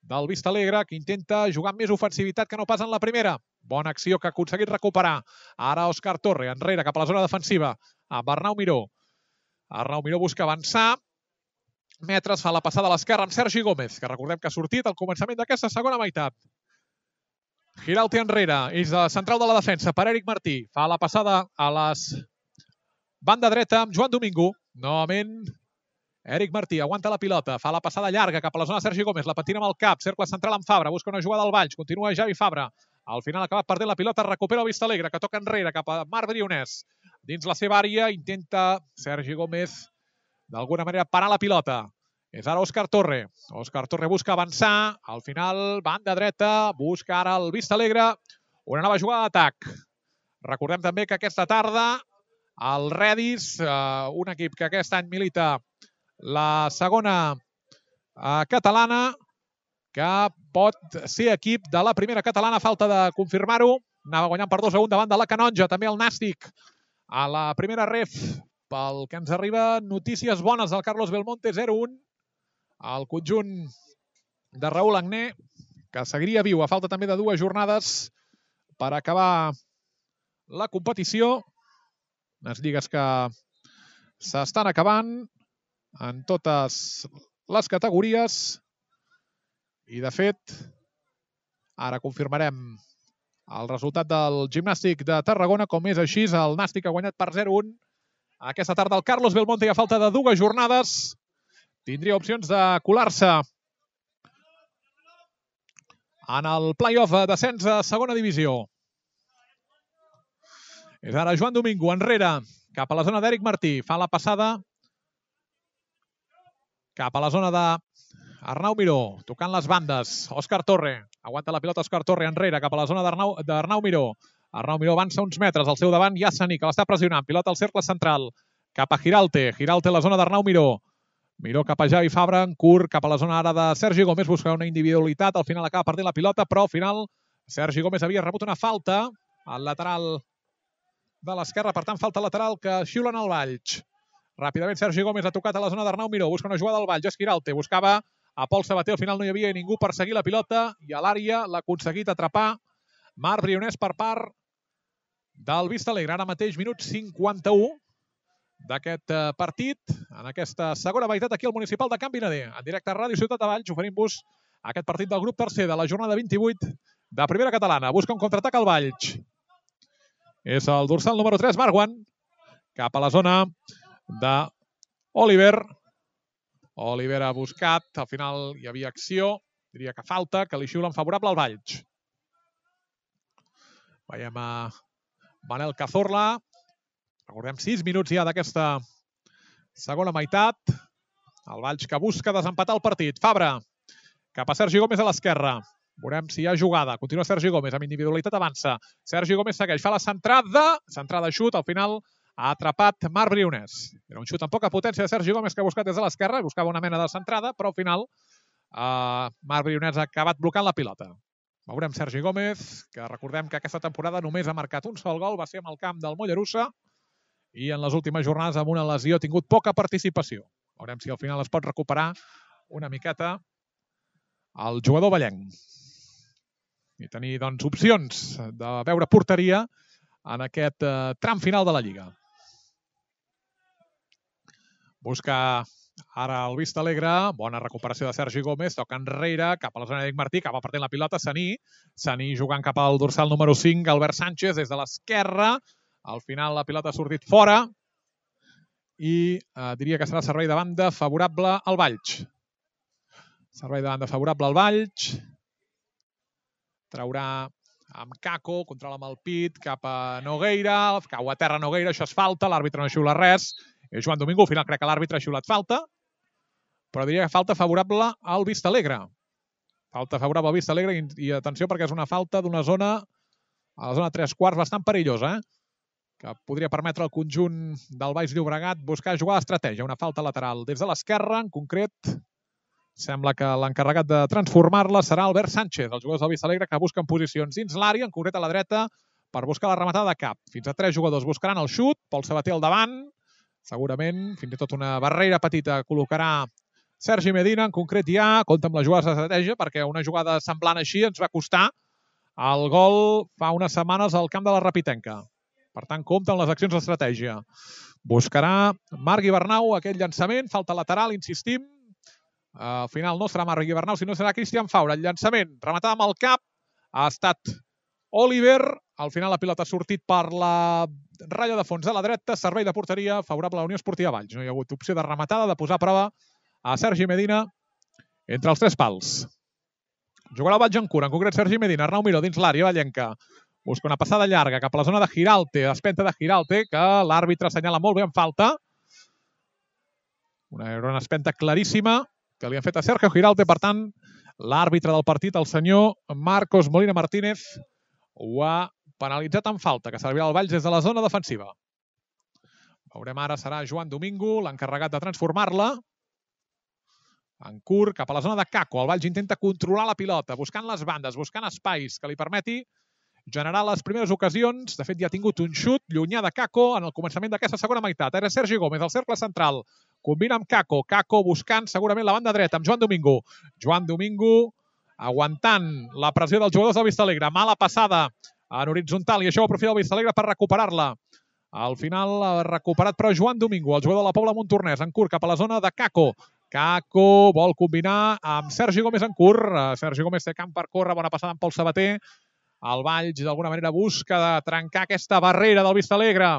del Vistalegre, que intenta jugar amb més ofensivitat que no pas en la primera. Bona acció que ha aconseguit recuperar. Ara Òscar Torre, enrere, cap a la zona defensiva, amb Arnau Miró. Arnau Miró busca avançar. Metres, fa la passada a l'esquerra amb Sergi Gómez, que recordem que ha sortit al començament d'aquesta segona meitat. Giralte enrere, és de central de la defensa per Eric Martí. Fa la passada a les banda dreta amb Joan Domingo. Novament Eric Martí aguanta la pilota, fa la passada llarga cap a la zona de Sergi Gómez, la patina amb el cap, cercle central amb Fabra, busca una jugada al Valls, continua Javi Fabra. Al final ha acabat perdent la pilota, recupera el Vistalegre, que toca enrere cap a Marc Brionès. Dins la seva àrea intenta Sergi Gómez d'alguna manera parar la pilota. És ara Òscar Torre. Òscar Torre busca avançar, al final banda dreta, busca ara el Vistalegre una nova jugada d'atac. Recordem també que aquesta tarda el Redis, eh, un equip que aquest any milita la segona eh, catalana, que pot ser equip de la primera catalana, falta de confirmar-ho. Anava guanyant per dos a un davant de la Canonja, també el Nàstic a la primera ref. Pel que ens arriba, notícies bones del Carlos Belmonte, zero a un. El conjunt de Raül Agné, que seguiria viu a falta també de dues jornades per acabar la competició. Unes lligues que s'estan acabant en totes les categories. I, de fet, ara confirmarem el resultat del Gimnàstic de Tarragona. Com és així, el Nàstic ha guanyat per zero a un. Aquesta tarda el Carlos Belmonte, a falta de dues jornades, tindria opcions de colar-se en el play-off d'ascens a segona divisió. És ara Joan Domingo, enrere, cap a la zona d'Eric Martí. Fa la passada cap a la zona de Arnau Miró, tocant les bandes. Òscar Torre, aguanta la pilota Òscar Torre enrere, cap a la zona d'Arnau Miró. Arnau Miró avança uns metres, al seu davant hi ha Saní, que l'està pressionant. Pilota al cercle central, cap a Giralte. Giralte a la zona d'Arnau Miró. Miró cap a Javi Fabra, en curt, cap a la zona ara de Sergi Gómez, busca una individualitat, al final acaba perdent la pilota, però al final Sergi Gómez havia rebut una falta al lateral de l'esquerra, per tant falta lateral que xiulen al Valls. Ràpidament Sergi Gómez ha tocat a la zona d'Arnau Miró, busca una jugada al Valls, és Giralte, buscava a Pol Sabater, al final no hi havia ningú per seguir la pilota i a l'àrea l'ha aconseguit atrapar Marc Brionès per part del Vista Alegre. Ara mateix minut cinquanta-u d'aquest partit, en aquesta segona meitat aquí al Municipal de Can Vinader. En directe a Ràdio Ciutat de Valls oferim-vos aquest partit del grup tercer de la jornada vint-i-vuit de Primera Catalana. Busca un contraatac al Valls. És el dorsal número tres, Marwan, cap a la zona d'Oliver. Oliver ha buscat, al final hi havia acció, diria que falta, que li xiulen favorable al Valls. Veiem a Manel Cazorla. Recordem, sis minuts ja d'aquesta segona meitat. El Valls que busca desempatar el partit. Fabra, cap a Sergi Gómez a l'esquerra. Veurem si hi ha jugada. Continua Sergi Gómez, amb individualitat avança. Sergi Gómez segueix, fa la centrada. Centrada xut, al final ha atrapat Marc Brionès. Era un xut amb poca potència de Sergi Gómez que ha buscat des de l'esquerra. Buscava una mena de centrada, però al final eh, Marc Brionès ha acabat blocant la pilota. Veurem Sergi Gómez, que recordem que aquesta temporada només ha marcat un sol gol. Va ser amb el camp del Mollerussa. I en les últimes jornades amb una lesió ha tingut poca participació. Veurem si al final es pot recuperar una miqueta el jugador vallenc. I tenir doncs, opcions de veure porteria en aquest eh, tram final de la Lliga. Busca ara el Vista Alegre. Bona recuperació de Sergi Gómez. Toca enrere, cap a la zona d'Eric Martí. Acaba perdent la pilota Saní. Saní jugant cap al dorsal número cinc. Albert Sánchez des de l'esquerra. Al final la pilota ha sortit fora i eh, diria que serà servei de banda favorable al Valls. Servei de banda favorable al Valls. Traurà amb Caco, controla amb el pit, cap a Nogueira, cau a terra Nogueira, això és falta, l'àrbitre no xiula res. És Joan Domingo, al final crec que l'àrbitre ha xiulat falta, però diria que falta favorable al Vista Alegre. Falta favorable al Vista Alegre i, i atenció perquè és una falta d'una zona, a la zona tres quarts, bastant perillosa, eh? Que podria permetre al conjunt del Baix Llobregat buscar jugar d'estratègia. Una falta lateral des de l'esquerra, en concret. Sembla que l'encarregat de transformar-la serà Albert Sánchez, els jugadors del Vista Alegre que busquen posicions dins l'àrea, en concret a la dreta, per buscar la rematada de cap. Fins a tres jugadors buscaran el xut, Pol Sabater al davant, segurament, fins i tot una barrera petita col·locarà Sergi Medina, en concret ja, compta amb les jugades d'estratègia, perquè una jugada semblant així ens va costar el gol fa unes setmanes al camp de la Rapitenca. Per tant, compta amb les accions d'estratègia. Buscarà Marc Ibernau aquest llançament, falta lateral, insistim. Al final no serà Marc Ibernau, sinó serà Cristian Faura. El llançament, rematada amb el cap, ha estat Oliver. Al final la pilota ha sortit per la ratlla de fons de la dreta, servei de porteria favorable a la Unió Esportiva Valls. No hi ha hagut opció de rematada, de posar a prova a Sergi Medina entre els tres pals. Jugarà el Valls en cura, en concret Sergi Medina, Arnau Miró dins l'àrea vallenca. Busca una passada llarga cap a la zona de Giralte, espenta de Giralte, que l'àrbitre assenyala molt bé en falta. Una, una espenta claríssima que li han fet a Sergio Giralte, per tant, l'àrbitre del partit, el senyor Marcos Molina Martínez, ho ha penalitzat en falta, que servirà al Valls des de la zona defensiva. Veurem ara, serà Joan Domingo, l'encarregat de transformar-la. En curt, cap a la zona de Caco. El Valls intenta controlar la pilota, buscant les bandes, buscant espais que li permeti generar les primeres ocasions. De fet, ja ha tingut un xut llunyà de Caco en el començament d'aquesta segona meitat. Era Sergi Gómez, al cercle central. Combina amb Caco. Caco buscant segurament la banda dreta amb Joan Domingo. Joan Domingo aguantant la pressió dels jugadors del Vista Alegre. Mala passada en horitzontal i això ho aprofita el Vista Alegre per recuperar-la. Al final ha recuperat però Joan Domingo, el jugador de la Pobla Montornès, en curt cap a la zona de Caco. Caco vol combinar amb Sergi Gómez en curt. Sergi Gómez té camp per córrer, bona passada amb Pol Sabater. El Valls, d'alguna manera, busca de trencar aquesta barrera del Vista Alegre.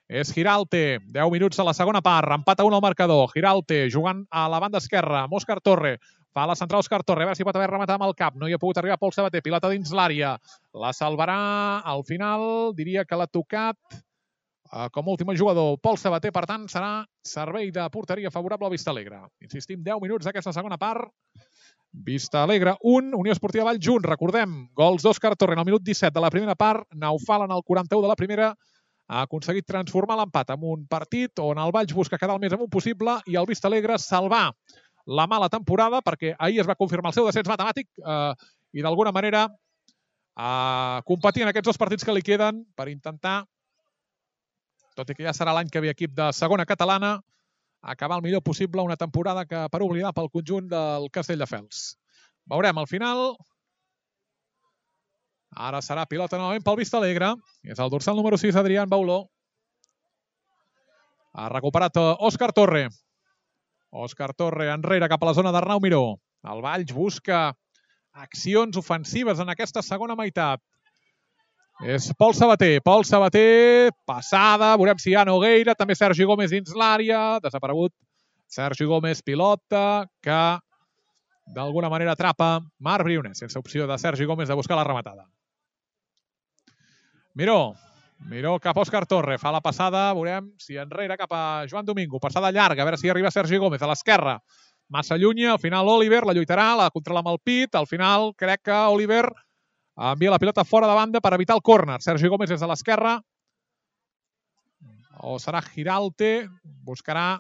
És Giralte, deu minuts a la segona part, empat a un al marcador. Giralte jugant a la banda esquerra, amb Òscar Torre. Fa la central Òscar Torre, a veure si pot haver rematat amb el cap. No hi ha pogut arribar Pol Sabater, pilota dins l'àrea. La salvarà al final, diria que l'ha tocat eh, com a últim jugador Pol Sabater, per tant, serà servei de porteria favorable al Vista Alegre. Insistim, deu minuts d'aquesta segona part. Vista Alegre un, Unió Esportiva Valls un. Recordem, gols d'Òscar Torre en el minut disset de la primera part, Naufal en el quaranta-u de la primera, ha aconseguit transformar l'empat en un partit on el Valls busca quedar el més amunt possible i el Vista Alegre salvar la mala temporada, perquè ahir es va confirmar el seu descens matemàtic eh, i d'alguna manera eh, competir en aquests dos partits que li queden per intentar, tot i que ja serà l'any que ve equip de segona catalana, acabar el millor possible una temporada que per oblidar pel conjunt del Castelldefels. Veurem al final. Ara serà pilota novament pel Vista Alegre. És el dorsal número sis, Adrián Bauló. Ha recuperat Òscar Torre. Òscar Torre enrere cap a la zona d'Arnau Miró. El Valls busca accions ofensives en aquesta segona meitat. És Pol Sabater. Pol Sabater, passada. Veurem si hi ha Nogueira. També Sergi Gómez dins l'àrea. Desaparegut Sergi Gómez, pilota, que d'alguna manera atrapa Marc Briones, sense opció de Sergi Gómez de buscar la rematada. Miró. Miró cap a Òscar Torre. Fa la passada. Veurem si enrere cap a Joan Domingo. Passada llarga. A veure si arriba Sergi Gómez a l'esquerra. Massa lluny. Al final Oliver la lluitarà. La controla amb el pit. Al final crec que Oliver envia la pilota fora de banda per evitar el córner. Sergi Gómez des de l'esquerra. O serà Giralte. Buscarà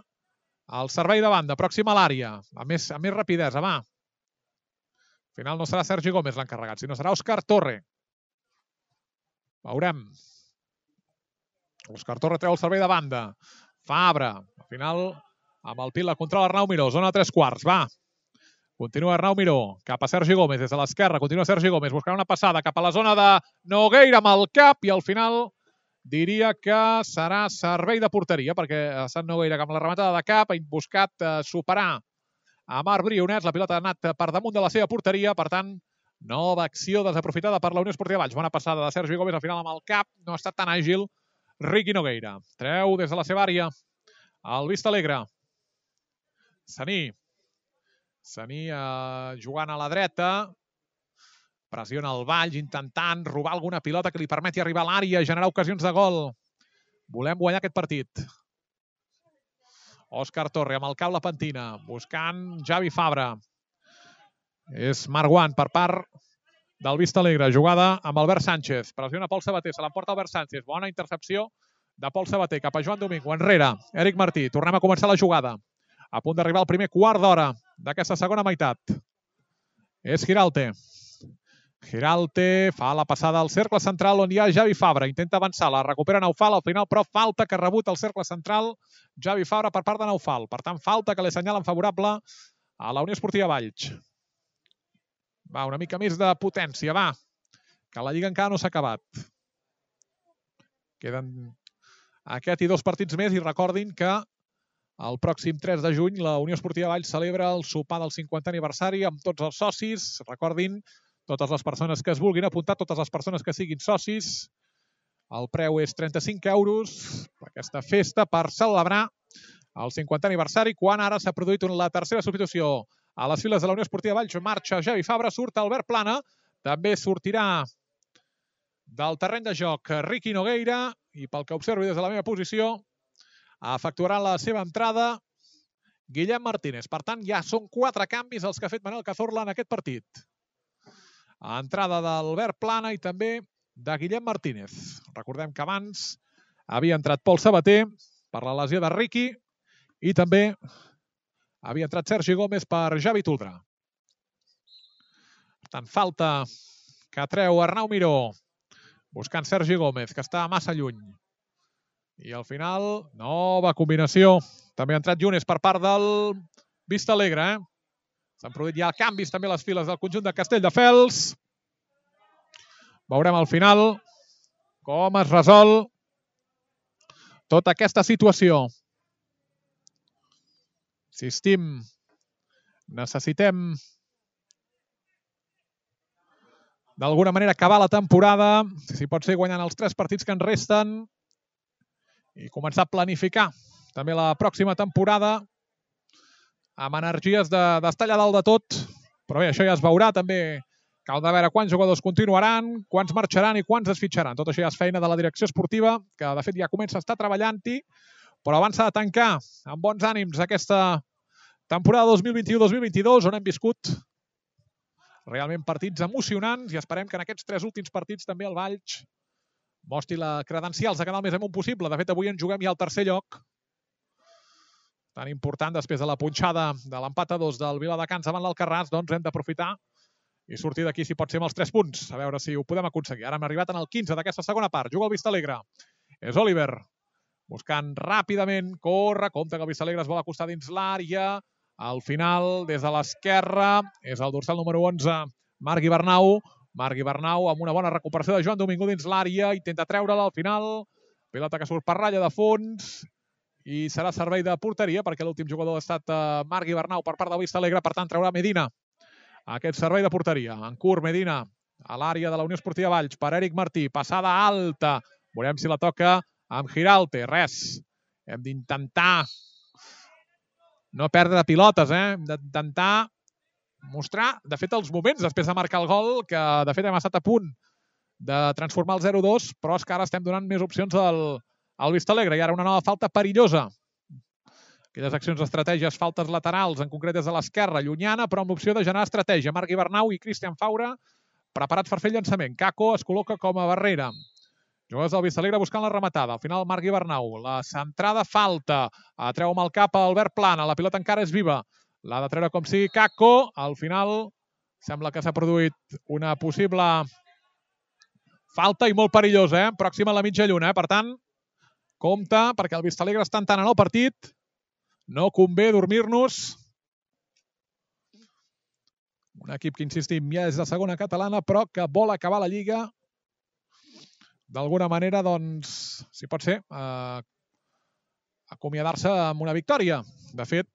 el servei de banda. Pròxim a l'àrea. Amb més, amb més rapidesa, va. Al final no serà Sergi Gómez l'encarregat, sinó serà Òscar Torre. Veurem. Òscar Torre treu el servei de banda. Fabra. Al final, amb el pit la controla Arnau Miró. Zona tres quarts, va. Continua Arnau Miró, cap a Sergi Gómez, des de l'esquerra, continua Sergi Gómez, buscant una passada cap a la zona de Nogueira amb el cap i al final diria que serà servei de porteria, perquè Sant Nogueira amb la rematada de cap ha buscat superar a Marc Briones, la pilota ha anat per damunt de la seva porteria, per tant, nova acció desaprofitada per la Unió Esportiva Valls. Bona passada de Sergi Gómez, al final amb el cap, no ha estat tan àgil Riqui Nogueira. Treu des de la seva àrea el Vista Alegre. Saní. Saní eh, jugant a la dreta, pressiona el Valls intentant robar alguna pilota que li permeti arribar a l'àrea i generar ocasions de gol. Volem guanyar aquest partit. Òscar Torre amb el cap la pentina, buscant Javi Fabra. És Marguant per part del Vista Alegre, jugada amb Albert Sánchez. Pressiona Pol Sabater, se l'emporta Albert Sánchez. Bona intercepció de Pol Sabater cap a Joan Domingo. Enrere, Eric Martí. Tornem a començar la jugada. A punt d'arribar al primer quart d'hora d'aquesta segona meitat. És Giralte. Giralte fa la passada al cercle central on hi ha Javi Fabra. Intenta avançar, la recupera Naufal. Al final, però, falta que ha rebut al cercle central Javi Fabra per part de Naufal. Per tant, falta que li assenyalen favorable a la Unió Esportiva Valls. Va, una mica més de potència, va. Que la Lliga encara no s'ha acabat. Queden aquest i dos partits més i recordin que el pròxim tres de juny la Unió Esportiva Valls celebra el sopar del cinquantè aniversari amb tots els socis. Recordin, totes les persones que es vulguin apuntar, totes les persones que siguin socis. El preu és trenta-cinc euros per aquesta festa per celebrar el cinquantè aniversari, quan ara s'ha produït la tercera substitució a les files de la Unió Esportiva Valls. Marxa Javi Fabra, surt Albert Plana, també sortirà del terreny de joc Riqui Nogueira i pel que observo des de la meva posició efectuarà la seva entrada Guillem Martínez. Per tant, ja són quatre canvis els que ha fet Manel Cazorla en aquest partit. Entrada d'Albert Plana i també de Guillem Martínez. Recordem que abans havia entrat Pol Sabater per la lesió de Riqui i també havia entrat Sergi Gómez per Javi Toldrà. Per tant, falta que treu Arnau Miró buscant Sergi Gómez, que està massa lluny. I al final, nova combinació. També ha entrat Yunes per part del Vista Alegre. Eh? S'han produït ja canvis també a les files del conjunt de Castelldefels. Veurem al final com es resol tota aquesta situació. Insistim, necessitem d'alguna manera acabar la temporada, si pot ser guanyant els tres partits que ens resten, i començar a planificar també la pròxima temporada amb energies d'estar allà dalt de tot. Però bé, això ja es veurà. També cal de veure quants jugadors continuaran, quants marxaran i quants es fitxaran. Tot això ja és feina de la direcció esportiva, que de fet ja comença a estar treballant-hi, però abans s'ha de tancar amb bons ànims aquesta temporada dos mil vint-i-u dos mil vint-i-dos, on hem viscut Realment partits emocionants i esperem que en aquests tres últims partits també el Valls mostri la credencials de quedar el més amunt possible. De fet, avui en juguem ja al tercer lloc. Tan important després de la punxada de l'empat a dos del Viladecans davant l'Alcarràs, doncs hem d'aprofitar i sortir d'aquí si pot ser amb els tres punts. A veure si ho podem aconseguir. Ara hem arribat en el quinze d'aquesta segona part. Juga el Vistalegre. És Oliver. Buscant ràpidament. Corre. Compte que el Vistalegre es vol acostar dins l'àrea. Al final, des de l'esquerra, és el dorsal número onze, Marc Ibernau. Marc Ibernau amb una bona recuperació de Joan Domingo dins l'àrea. Intenta treure-la al final. Pilota que surt per ratlla de fons. I serà servei de porteria perquè l'últim jugador ha estat Marc Ibernau per part del Vistalegre. Per tant, traurà Medina aquest servei de porteria. En curt, Medina a l'àrea de la Unió Esportiva Valls per Eric Martí. Passada alta. Veurem si la toca amb Giralte. Res. Hem d'intentar no perdre pilotes, eh? Hem d'intentar mostrar, de fet, els moments després de marcar el gol, que de fet hem estat a punt de transformar el zero dos, però és que ara estem donant més opcions al, al Vistalegre. I ara una nova falta perillosa. Aquelles accions d'estratègies, faltes laterals, en concret des de l'esquerra, llunyana, però amb l'opció de generar estratègia. Marc Ibernau i Cristian Faura preparats per fer el llançament. Caco es col·loca com a barrera. Jugadors del Vistalegre buscant la rematada. Al final, Marc Ibernau. La centrada falta. Treu amb el cap a Albert Plana. La pilota encara és viva. L'ha de treure com sigui Caco. Al final, sembla que s'ha produït una possible falta i molt perillosa, eh? Pròxima a la mitja lluna, eh? Per tant, compte, perquè el Vistalegre està entrant en el partit. No convé dormir-nos. Un equip que, insistim, ja és de segona catalana, però que vol acabar la Lliga d'alguna manera, doncs, si pot ser, eh, acomiadar-se amb una victòria. De fet,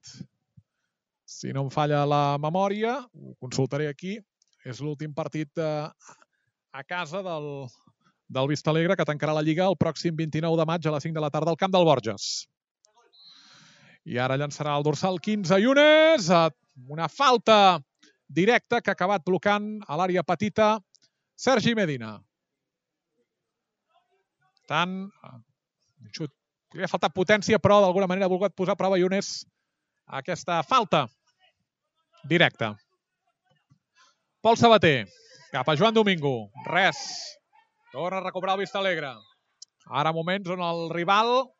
si no em falla la memòria, ho consultaré aquí, és l'últim partit eh, a casa del, del Vistalegre, que tancarà la Lliga el pròxim vint-i-nou de maig a les cinc de la tarda al camp del Borges. I ara llançarà el dorsal quinze Yunes, una falta directa que ha acabat blocant a l'àrea petita Sergi Medina. Tant, un xut. Li ha faltat potència, però d'alguna manera ha volgut posar a prova Yunes aquesta falta directa. Pol Sabater, cap a Joan Domingo. Res. Torna a recuperar el Vistalegre. Ara moments on el rival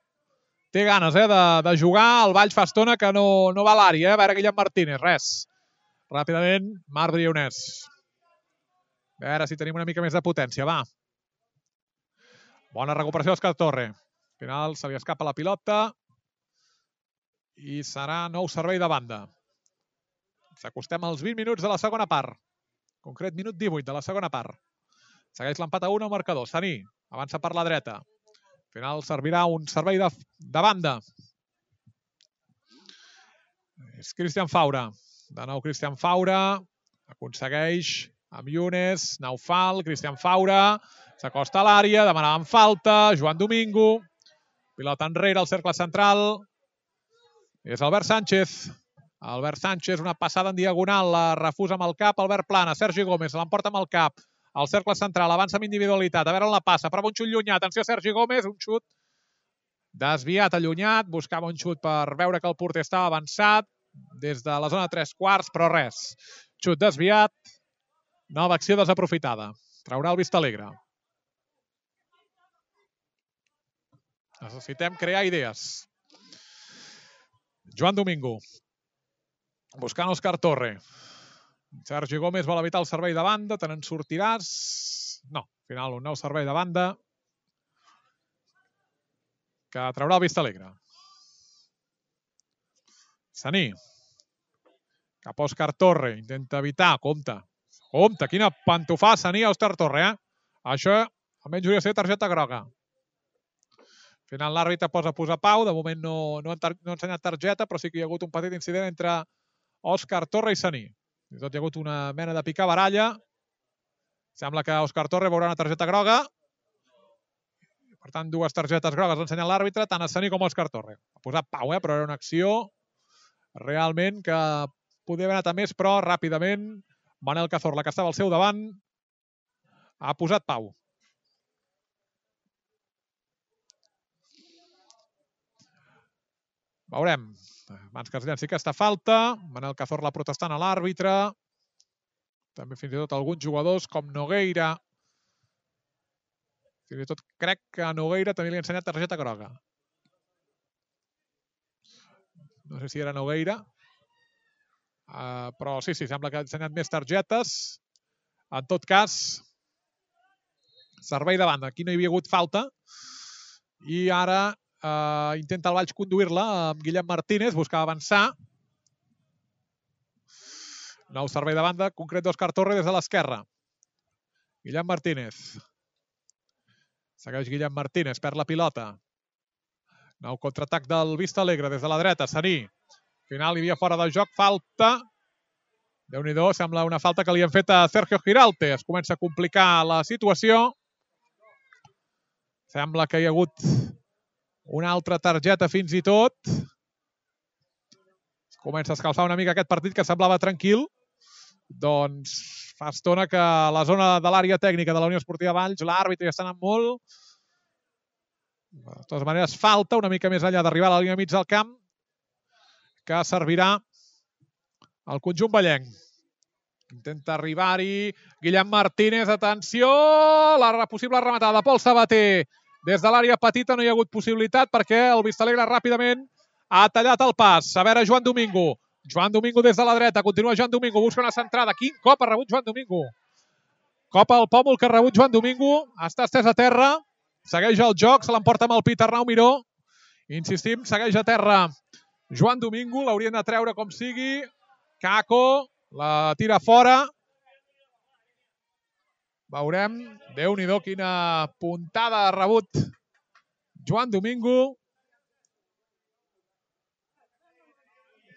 té ganes eh, de, de jugar. El Valls fa estona que no, no va a l'àrea. Eh? A veure, Guillem Martínez, res. Ràpidament, Marc Briones. A veure si tenim una mica més de potència, va. Bona recuperació d'Òscar Torre. Al final se li escapa la pilota i serà nou servei de banda. S'acostem als vint minuts de la segona part. En concret, minut divuit de la segona part. Segueix l'empat a un al marcador. Saní avança per la dreta. Al final servirà un servei de, de banda. És Cristian Faura. De nou Cristian Faura. Aconsegueix amb Yunes. Naufal. Cristian Faura. S'acosta a l'àrea. Demanaven falta. Joan Domingo. Pilota enrere al cercle central. És Albert Sánchez. Albert Sánchez, una passada en diagonal. La refusa amb el cap. Albert Plana. Sergi Gómez l'emporta amb el cap. Al cercle central, avança amb individualitat. A veure on la passa. Prova un xut llunyat. Atenció, Sergi Gómez. Un xut desviat, allunyat. Buscava un xut per veure que el porter estava avançat des de la zona de tres quarts, però res. Xut desviat. Nova acció desaprofitada. Traurà el Vistalegre. Necessitem crear idees. Joan Domingo. Buscant Òscar Torre. Sergi Gómez vol evitar el servei de banda. Te n'en sortiràs? No. Al final, un nou servei de banda que traurà el Vistalegre. Saní. Cap a Òscar Torre. Intenta evitar. Compte. Compte. Quina pantofà Saní a Òscar Torre, eh? Això almenys hauria de ser targeta groga. Al final l'àrbitre posa a posar pau. De moment no, no, no ha ensenyat targeta, però sí que hi ha hagut un petit incident entre Òscar Torre i Saní. I tot hi ha hagut una mena de picar-baralla. Sembla que Òscar Torre veurà una targeta groga. Per tant, dues targetes grogues ha ensenyat l'àrbitre, tant a Saní com a Òscar Torre. Ha posat pau, eh? Però era una acció realment que podia haver anat a més, però ràpidament Manel Cazorla, que estava al seu davant, ha posat pau. Veurem. Abans que es llenci aquesta falta, Manel Cazorla protestant a l'àrbitre. També fins i tot alguns jugadors com Nogueira. Fins i tot crec que a Nogueira també li ha ensenyat targeta groga. No sé si era Nogueira. Uh, però sí, sí, sembla que ha ensenyat més targetes. En tot cas, servei de banda. Aquí no hi havia hagut falta. I ara uh, intenta el Valls conduir-la amb Guillem Martínez, buscava avançar. Nou servei de banda, concret d'Òscar Torre des de l'esquerra. Guillem Martínez. Segueix Guillem Martínez, perd la pilota. Nou contraatac del Vista Alegre des de la dreta, Saní. Final hi havia fora de joc, falta. Déu-n'hi-do, sembla una falta que li han fet a Sergio Giralt. Es comença a complicar la situació. Sembla que hi ha hagut una altra targeta fins i tot. Comença a escalfar una mica aquest partit que semblava tranquil. Doncs fa estona que a la zona de l'àrea tècnica de la Unió Esportiva Valls l'àrbitre ja està anant molt. De totes maneres, falta una mica més enllà d'arribar a la línia mig del camp que servirà al conjunt vallenc. Intenta arribar-hi Guillem Martínez, atenció! La possible rematada de Pol Sabater. Des de l'àrea petita no hi ha hagut possibilitat perquè el Vistalegre ràpidament ha tallat el pas. A veure, Joan Domingo. Joan Domingo des de la dreta. Continua Joan Domingo. Busca una centrada. Quin cop ha rebut Joan Domingo. Cop al pòmul que ha rebut Joan Domingo. Està estès a terra. Segueix el joc. Se l'emporta amb el pit Arnau Miró. Insistim, segueix a terra Joan Domingo. L'haurien de treure com sigui. Caco la tira fora. Veurem. Déu-n'hi-do quina puntada ha rebut Joan Domingo.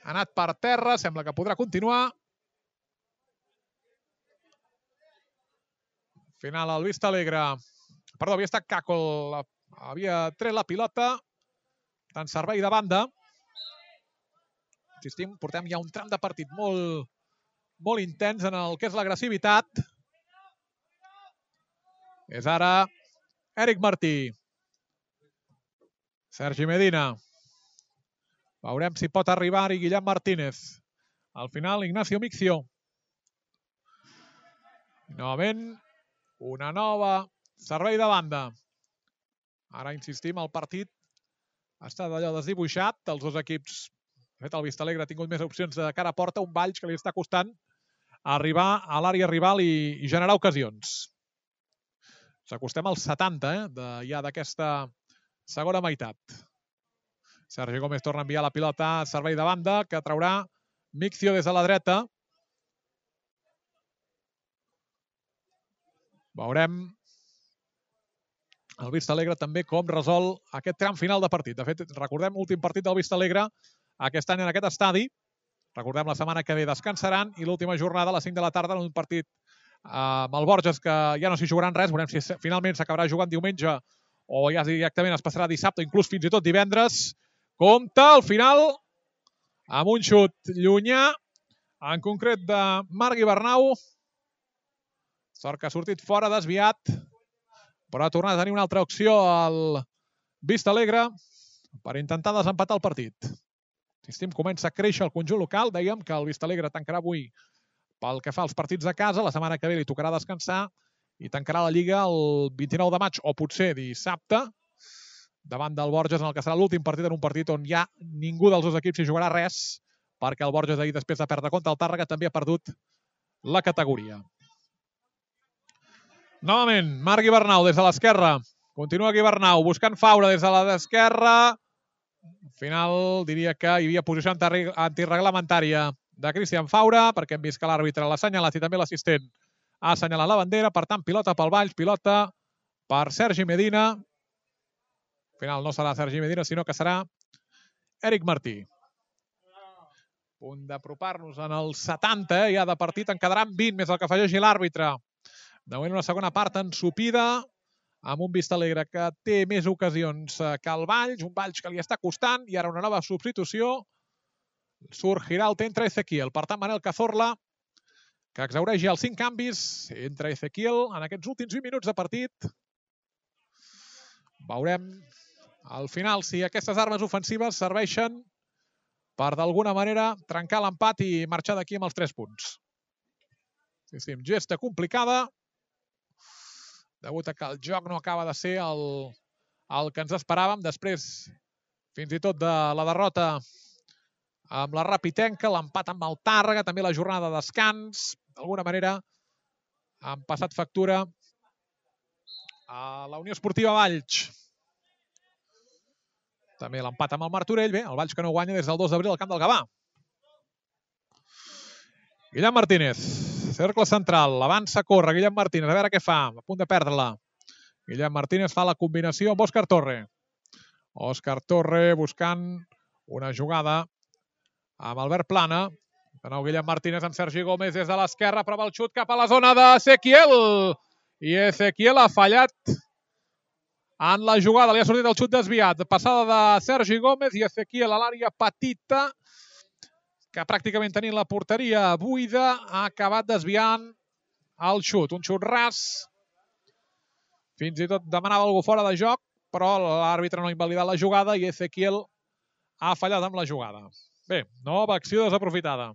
Ha anat per terra, sembla que podrà continuar. Final al Vista Alegre. Perdó, havia estat Caco, la, havia tret la pilota. En servei de banda. Insistim, portem ja un tram de partit molt, molt intens en el que és l'agressivitat. És ara Eric Martí. Sergi Medina. Veurem si pot arribar-hi Guillem Martínez. Al final, Ignacio Mixio. Novament, una nova servei de banda. Ara insistim, el partit està d'allò desdibuixat. Els dos equips, de fet, el Vistalegre ha tingut més opcions de cara a porta. Un Valls que li està costant arribar a l'àrea rival i, i generar ocasions. S'acostem als setanta, eh, de, ja d'aquesta segona meitat. Sergi Gómez torna a enviar la pilota a servei de banda, que traurà Mixio des de la dreta. Veurem el Vistalegre també com resol aquest tram final de partit. De fet, recordem l'últim partit del Vistalegre aquest any en aquest estadi. Recordem la setmana que ve descansaran i l'última jornada a les cinc de la tarda en un partit amb el Borges que ja no s'hi jugaran res. Veurem si finalment s'acabarà jugant diumenge o ja directament es passarà dissabte, inclús fins i tot divendres. Compte al final amb un xut llunyà, en concret de Marc Ibernau. Sort que ha sortit fora, desviat, però ha tornat a tenir una altra opció al Vistalegre per intentar desempatar el partit. Insistim, comença a créixer el conjunt local. Dèiem que el Vistalegre tancarà avui pel que fa als partits de casa. La setmana que ve li tocarà descansar i tancarà la Lliga el vint-i-nou de maig o potser dissabte davant del Borges, en el que serà l'últim partit, en un partit on ja ningú dels dos equips hi jugarà res, perquè el Borges ahir, després de perdre contra el Tàrrega, també ha perdut la categoria. Novament, Marc Ibernau des de l'esquerra. Continua Ibernau buscant Faura des de l'esquerra. Al final diria que hi havia posició antirreglamentària de Cristian Faura, perquè hem vist que l'àrbitre l'ha assenyalat i també l'assistent ha assenyalat la bandera. Per tant, pilota pel Valls, pilota per Sergi Medina. Al final no serà Sergi Medina, sinó que serà Eric Martí. A punt d'apropar-nos en els setanta, eh, ja de partit. En quedaran vint més el que afegeixi l'àrbitre. De moment una segona part ensupida, amb un Vistalegre que té més ocasions que el Valls, un Valls que li està costant, i ara una nova substitució. Surt Giralt, entra Ezequiel. Per tant, Manel Cazorla, que exhaureix ja els cinc canvis, entra Ezequiel en aquests últims vint minuts de partit. Veurem al final si aquestes armes ofensives serveixen per d'alguna manera trencar l'empat i marxar d'aquí amb els tres punts. Sí, sí, amb gesta complicada, degut a que el joc no acaba de ser el, el que ens esperàvem. Després, fins i tot de la derrota amb la Rapitenca, l'empat amb el Tàrrega, també la jornada de descans, d'alguna manera han passat factura a la Unió Esportiva Valls. També l'empat amb el Martorell, bé, el Valls que no guanya des del dos d'abril al Camp del Gavà. Guillem Martínez, cercle central, avança, corre, Guillem Martínez, a veure què fa, a punt de perdre-la. Guillem Martínez fa la combinació amb Òscar Torre. Òscar Torre buscant una jugada amb Albert Plana. De nou Guillem Martínez amb Sergi Gómez des de l'esquerra, prova el xut cap a la zona d'Ezequiel. I Ezequiel ha fallat en la jugada, li ha sortit el xut desviat. Passada de Sergi Gómez i Ezequiel a l'àrea petita, que pràcticament tenint la porteria buida, ha acabat desviant el xut. Un xut ras. Fins i tot demanava algú fora de joc, però l'àrbitre no ha invalidat la jugada i Ezequiel ha fallat amb la jugada. Bé, nova acció desaprofitada.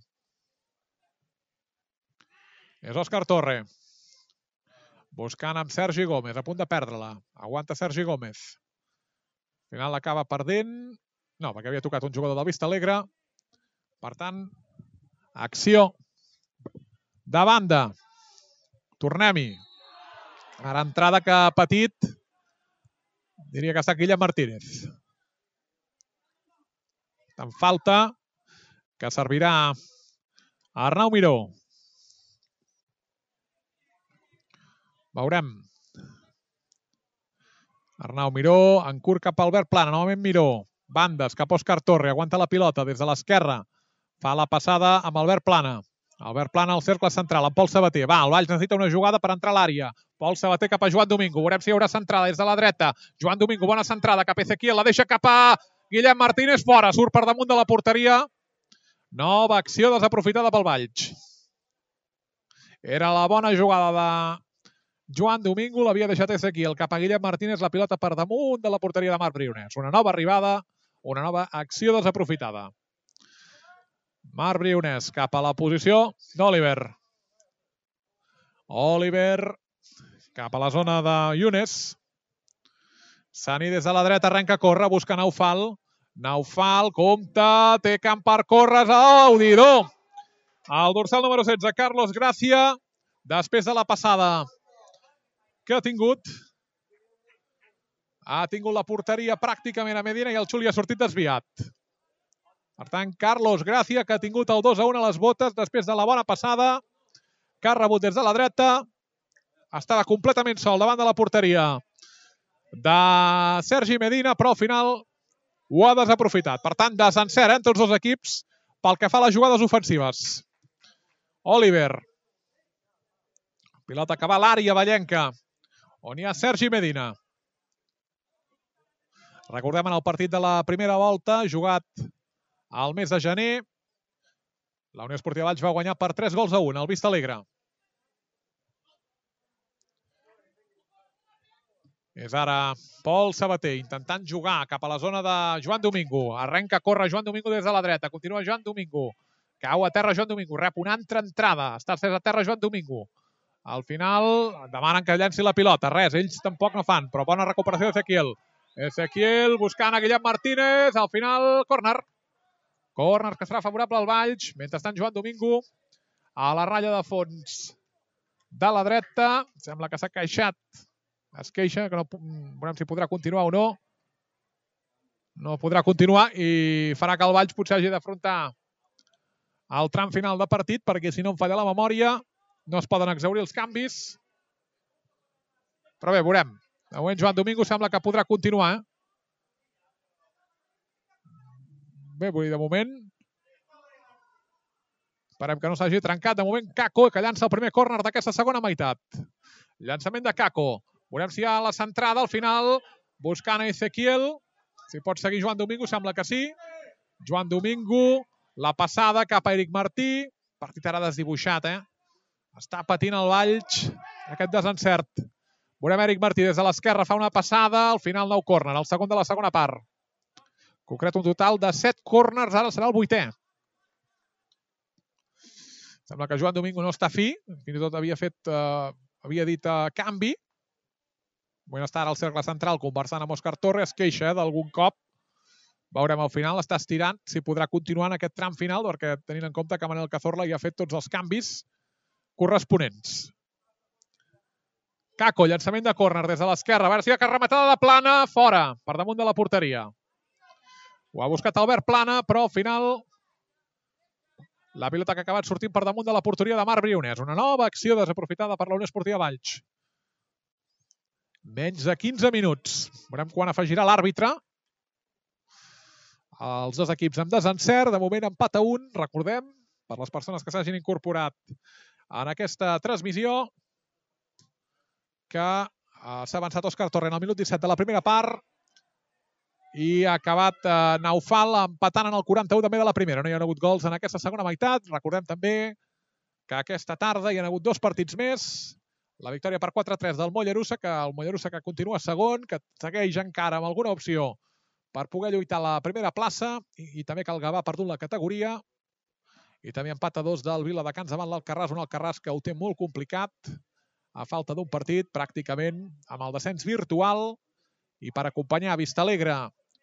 És Òscar Torre. Buscant amb Sergi Gómez, a punt de perdre-la. Aguanta Sergi Gómez. Al final l'acaba perdent. No, perquè havia tocat un jugador del Vista Alegre. Per tant, acció de banda. Tornem-hi. Ara entrada que ha patit, diria que ha estat Guillem Martínez. En falta, que servirà a Arnau Miró. Veurem. Arnau Miró, en curt cap a Albert Plana, novament Miró. Bandes, cap a Òscar Torre, aguanta la pilota des de l'esquerra. Fa la passada amb Albert Plana. Albert Plana al cercle central, amb Pol Sabater. Va, el Valls necessita una jugada per entrar a l'àrea. Pol Sabater cap a Joan Domingo. Veurem si hi haurà centrada des de la dreta. Joan Domingo, bona centrada cap a Ezequiel. La deixa cap a Guillem Martínez, fora. Surt per damunt de la porteria. Nova acció desaprofitada pel Valls. Era la bona jugada de Joan Domingo. L'havia deixat Ezequiel cap a Guillem Martínez. La pilota per damunt de la porteria de Marc Briones. Una nova arribada, una nova acció desaprofitada. Marc Briones cap a la posició d'Oliver. Oliver cap a la zona de Younes. Sani des de la dreta arrenca a córrer, busca Naufal. Naufal, compta, té camp per córrer. Oh, Audidor! El dorsal número setze, Carlos Gracia, després de la passada que ha tingut, ha tingut la porteria pràcticament a Medina i el xut li ha sortit desviat. Per tant, Carlos Gracia, que ha tingut el dos a un a les botes després de la bona passada, que ha rebut des de la dreta. Estava completament sol davant de la porteria de Sergi Medina, però al final ho ha desaprofitat. Per tant, desencert entre els dos equips pel que fa a les jugades ofensives. Oliver. Pilota que va a l'àrea vallenca, on hi ha Sergi Medina. Recordem en el partit de la primera volta, jugat al mes de gener, la Unió Esportiva Valls va guanyar per tres gols a un, al Vista Alegre. És ara Pol Sabater intentant jugar cap a la zona de Joan Domingo. Arrenca a córrer Joan Domingo des de la dreta. Continua Joan Domingo. Cau a terra Joan Domingo. Rep una altra entrada. Està estès a terra Joan Domingo. Al final demanen que llenci la pilota. Res, ells tampoc no fan, però bona recuperació d'Ezequiel. Ezequiel buscant a Guillem Martínez. Al final, córner. Córner que serà favorable al Valls. Mentrestant, Joan Domingo a la ratlla de fons de la dreta. Sembla que s'ha queixat. Es queixa, que no veurem si podrà continuar o no. No podrà continuar i farà que el Valls potser hagi d'afrontar el tram final de partit, perquè si no em falla la memòria no es poden exhaurir els canvis. Però bé, veurem. De moment Joan Domingo sembla que podrà continuar. Bé, vull dir, de moment esperem que no s'hagi trencat. De moment Caco, que llança el primer córner d'aquesta segona meitat. Llançament de Caco. Veurem si hi ha la centrada al final, buscant a Ezequiel. Si pot seguir Joan Domingo, sembla que sí. Joan Domingo, la passada cap a Eric Martí. Partit ara desdibuixat, eh? Està patint el Valls aquest desencert. Veurem Eric Martí des de l'esquerra, fa una passada, al final nou córner, el segon de la segona part. Concret un total de set córners, ara serà el vuitè. Sembla que Joan Domingo no està fi, fins i tot havia fet, eh, havia dit eh, canvi. Bueno, està ara al cercle central conversant amb Òscar Torres, queixa eh, d'algun cop. Veurem al final, està estirant si podrà continuar en aquest tram final, perquè tenint en compte que Manel Cazorla ja ha fet tots els canvis corresponents. Caco, llançament de córner des de l'esquerra. A veure si hi ha rematada de Plana, fora, per damunt de la porteria. Ho ha buscat Albert Plana, però al final la pilota que ha acabat sortint per damunt de la porteria de Marc Briones. Una nova acció desaprofitada per la Unió Esportiva Valls. Menys de quinze minuts. Veurem quan afegirà l'àrbitre. Els dos equips amb desencert. De moment empat a un. Recordem, per les persones que s'hagin incorporat en aquesta transmissió, que uh, s'ha avançat Òscar Torrent al minut disset de la primera part i ha acabat uh, Naufal empatant en el quaranta-u també de la primera. No hi ha hagut gols en aquesta segona meitat. Recordem també que aquesta tarda hi ha hagut dos partits més. La victòria per quatre a tres del Mollerussa, que el Mollerussa que continua segon, que segueix encara amb alguna opció per poder lluitar a la primera plaça, i, i també que el Gavà ha perdut la categoria. I també empat a dos del Viladecans davant l'Alcarràs, un Alcarràs que ho té molt complicat, a falta d'un partit, pràcticament amb el descens virtual, i per acompanyar Vistalegre,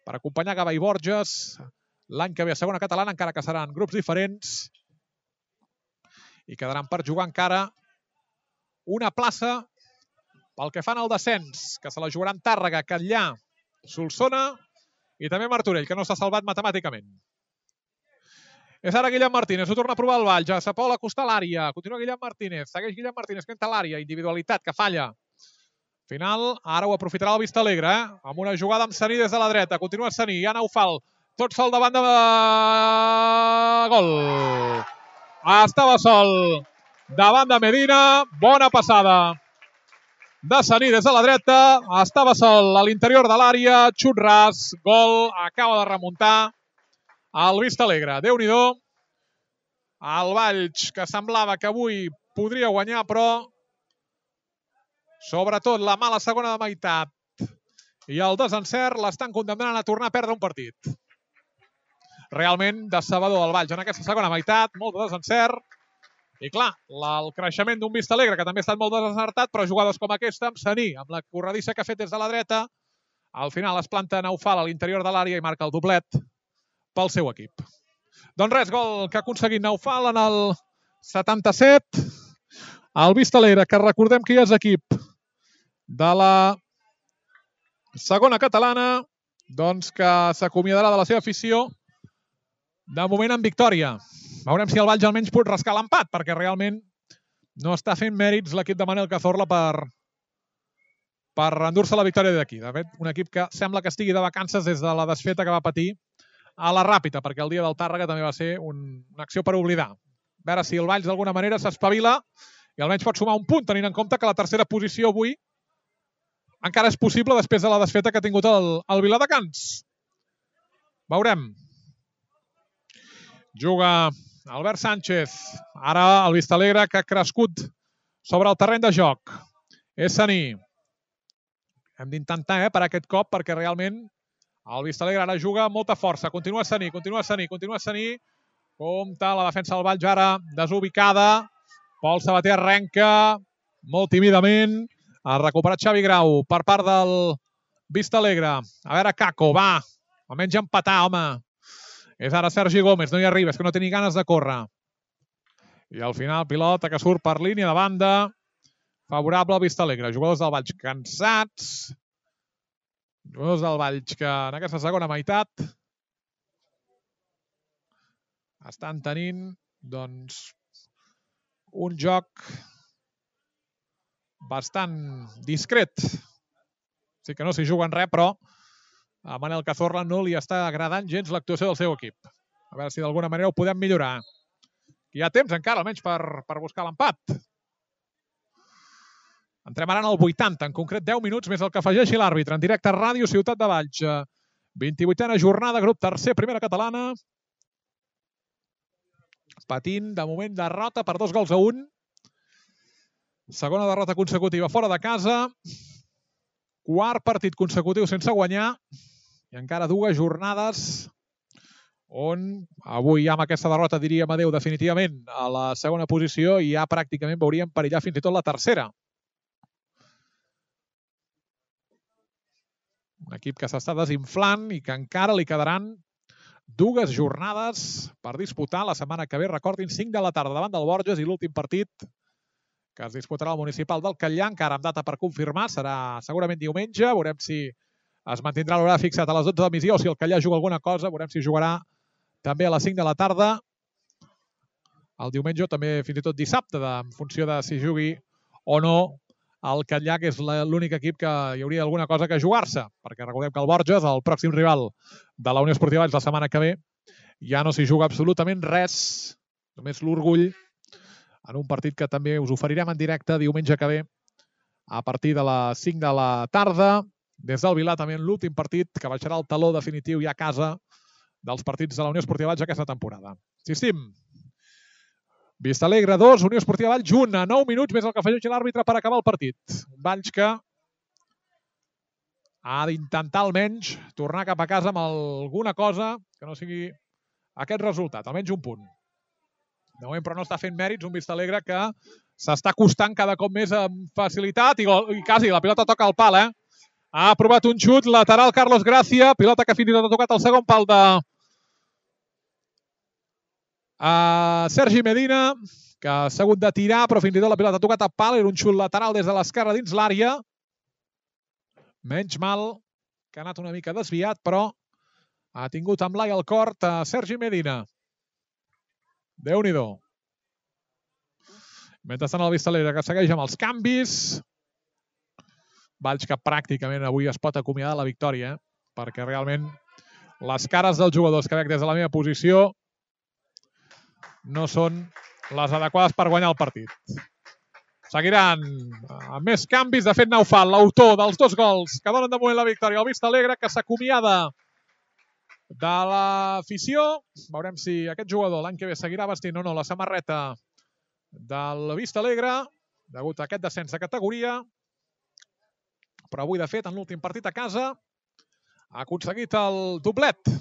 per acompanyar Gavà i Borges, l'any que ve a segona catalana, encara que seran grups diferents, i quedaran per jugar encara una plaça pel que fan al descens, que se la jugaran Tàrrega, Catllà, Solsona i també Martorell, que no s'ha salvat matemàticament. És ara Guillem Martínez, ho torna a provar el Valls, ja se pot acostar a l'àrea, continua Guillem Martínez, segueix Guillem Martínez, que entra a l'àrea, individualitat, que falla. Final, ara ho aprofitarà el Vistalegre, eh? Amb una jugada amb Saní des de la dreta, continua Saní, hi ha Naufal, tot sol davant de... Gol! Estava sol davant de Medina, bona passada de Saní des de la dreta, estava sol a l'interior de l'àrea, xut ras, gol, acaba de remuntar el Vistalegre. Déu-n'hi-do, el Valls, que semblava que avui podria guanyar, però sobretot la mala segona de meitat i el desencert l'estan condemnant a tornar a perdre un partit. Realment decebedor el Valls en aquesta segona meitat, molt de desencert. I clar, el creixement d'un Vistalegre, que també ha estat molt desencertat, però jugades com aquesta, amb Saní, amb la corredissa que ha fet des de la dreta, al final es planta Naufal a l'interior de l'àrea i marca el doblet pel seu equip. Doncs res, gol que ha aconseguit Naufal en el setanta-set. El Vistalegre, que recordem que ja és equip de la segona catalana, doncs que s'acomiadarà de la seva afició de moment en victòria. Veurem si el Valls almenys pot rascar l'empat, perquè realment no està fent mèrits l'equip de Manel Cazorla per, per endur-se la victòria d'aquí. De fet, un equip que sembla que estigui de vacances des de la desfeta que va patir a la Ràpita, perquè el dia del Tàrrega també va ser un, una acció per oblidar. A veure si el Valls d'alguna manera s'espavila i almenys pot sumar un punt, tenint en compte que la tercera posició avui encara és possible després de la desfeta que ha tingut el, el Viladecans. Veurem. Juga Albert Sánchez. Ara el Vistalegre, que ha crescut sobre el terreny de joc. És Saní. Hem d'intentar eh, per aquest cop, perquè realment el Vistalegre ara juga amb molta força. Continua Saní, continua Saní, continua Saní. Compte la defensa del Valls ara desubicada. Pol Sabater arrenca molt tímidament. Ha recuperat Xavi Grau per part del Vistalegre. A veure, Caco, va. Almenys empatar, home. És ara Sergi Gómez, no hi arriba, és que no té ni ganes de córrer. I al final, pilota que surt per línia de banda. Favorable al Vistalegre. Jugadors del Valls cansats. Jugadors del Valls que en aquesta segona meitat estan tenint, doncs, un joc bastant discret. Sí que no s'hi juguen res, però a Manel Cazorla no li està agradant gens l'actuació del seu equip. A veure si d'alguna manera ho podem millorar. Hi ha temps encara, almenys, per, per buscar l'empat. Entrem ara en el vuitanta, en concret deu minuts, més el que afegeixi l'àrbitre. En directe a Ràdio Ciutat de Valls. vint-i-vuitena jornada, grup tercer, primera catalana. Patint, de moment, derrota per dos gols a un. Segona derrota consecutiva fora de casa. Quart partit consecutiu sense guanyar. I encara dues jornades on avui ja amb aquesta derrota diríem adeu definitivament a la segona posició i ja pràcticament veuríem perillar fins i tot la tercera. Un equip que s'està desinflant i que encara li quedaran dues jornades per disputar la setmana que ve. Recordin, cinc de la tarda davant del Borges i l'últim partit que es disputarà al Municipal del Catllar, encara amb data per confirmar, serà segurament diumenge. Veurem si es mantindrà l'horari fixat a les dotze de migdia o si el Catllar juga alguna cosa. Veurem si jugarà també a les cinc de la tarda. El diumenge o també fins i tot dissabte, en funció de si jugui o no el Catllar, que és l'únic equip que hi hauria alguna cosa que jugar-se, perquè recordem que el Borges, el pròxim rival de la Unió Esportiva Valls la setmana que ve, ja no s'hi juga absolutament res, només l'orgull, en un partit que també us oferirem en directe diumenge que ve a partir de les cinc de la tarda, des del Vilar, també en l'últim partit que baixarà el taló definitiu ja a casa dels partits de la Unió Esportiva Valls aquesta temporada. Insistim, Vistalegre dos, Unió Esportiva Valls un, a nou minuts més el que afegeix l'àrbitre per acabar el partit. Un Valls que ha d'intentar almenys tornar cap a casa amb alguna cosa que no sigui aquest resultat, almenys un punt. De moment, però no està fent mèrits un Vistalegre que s'està costant cada cop més amb facilitat i, i quasi la pilota toca al pal, eh? Ha aprovat un xut lateral Carlos Gracia, pilota que fins i tot ha tocat el segon pal de Uh, Sergi Medina, que ha hagut de tirar, però fins i tot la pilota ha tocat a pal. Era un xut lateral des de l'esquerra dins l'àrea. Menys mal que ha anat una mica desviat, però ha tingut amb l'ai al cort a Sergi Medina. Déu-n'hi-do. Mentrestant el Vistalegre que segueix amb els canvis. Valls que pràcticament avui es pot acomiadar de la victòria, eh? Perquè realment les cares dels jugadors que veig des de la meva posició no són les adequades per guanyar el partit. Seguiran amb més canvis. De fet, Naufal, l'autor dels dos gols que donen de moment la victòria al Vistalegre, que s'acomiada de l'afició. Veurem si aquest jugador l'any que ve seguirà vestint o no la samarreta del Vistalegre, degut a aquest descens de categoria. Però avui, de fet, en l'últim partit a casa, ha aconseguit el doblet.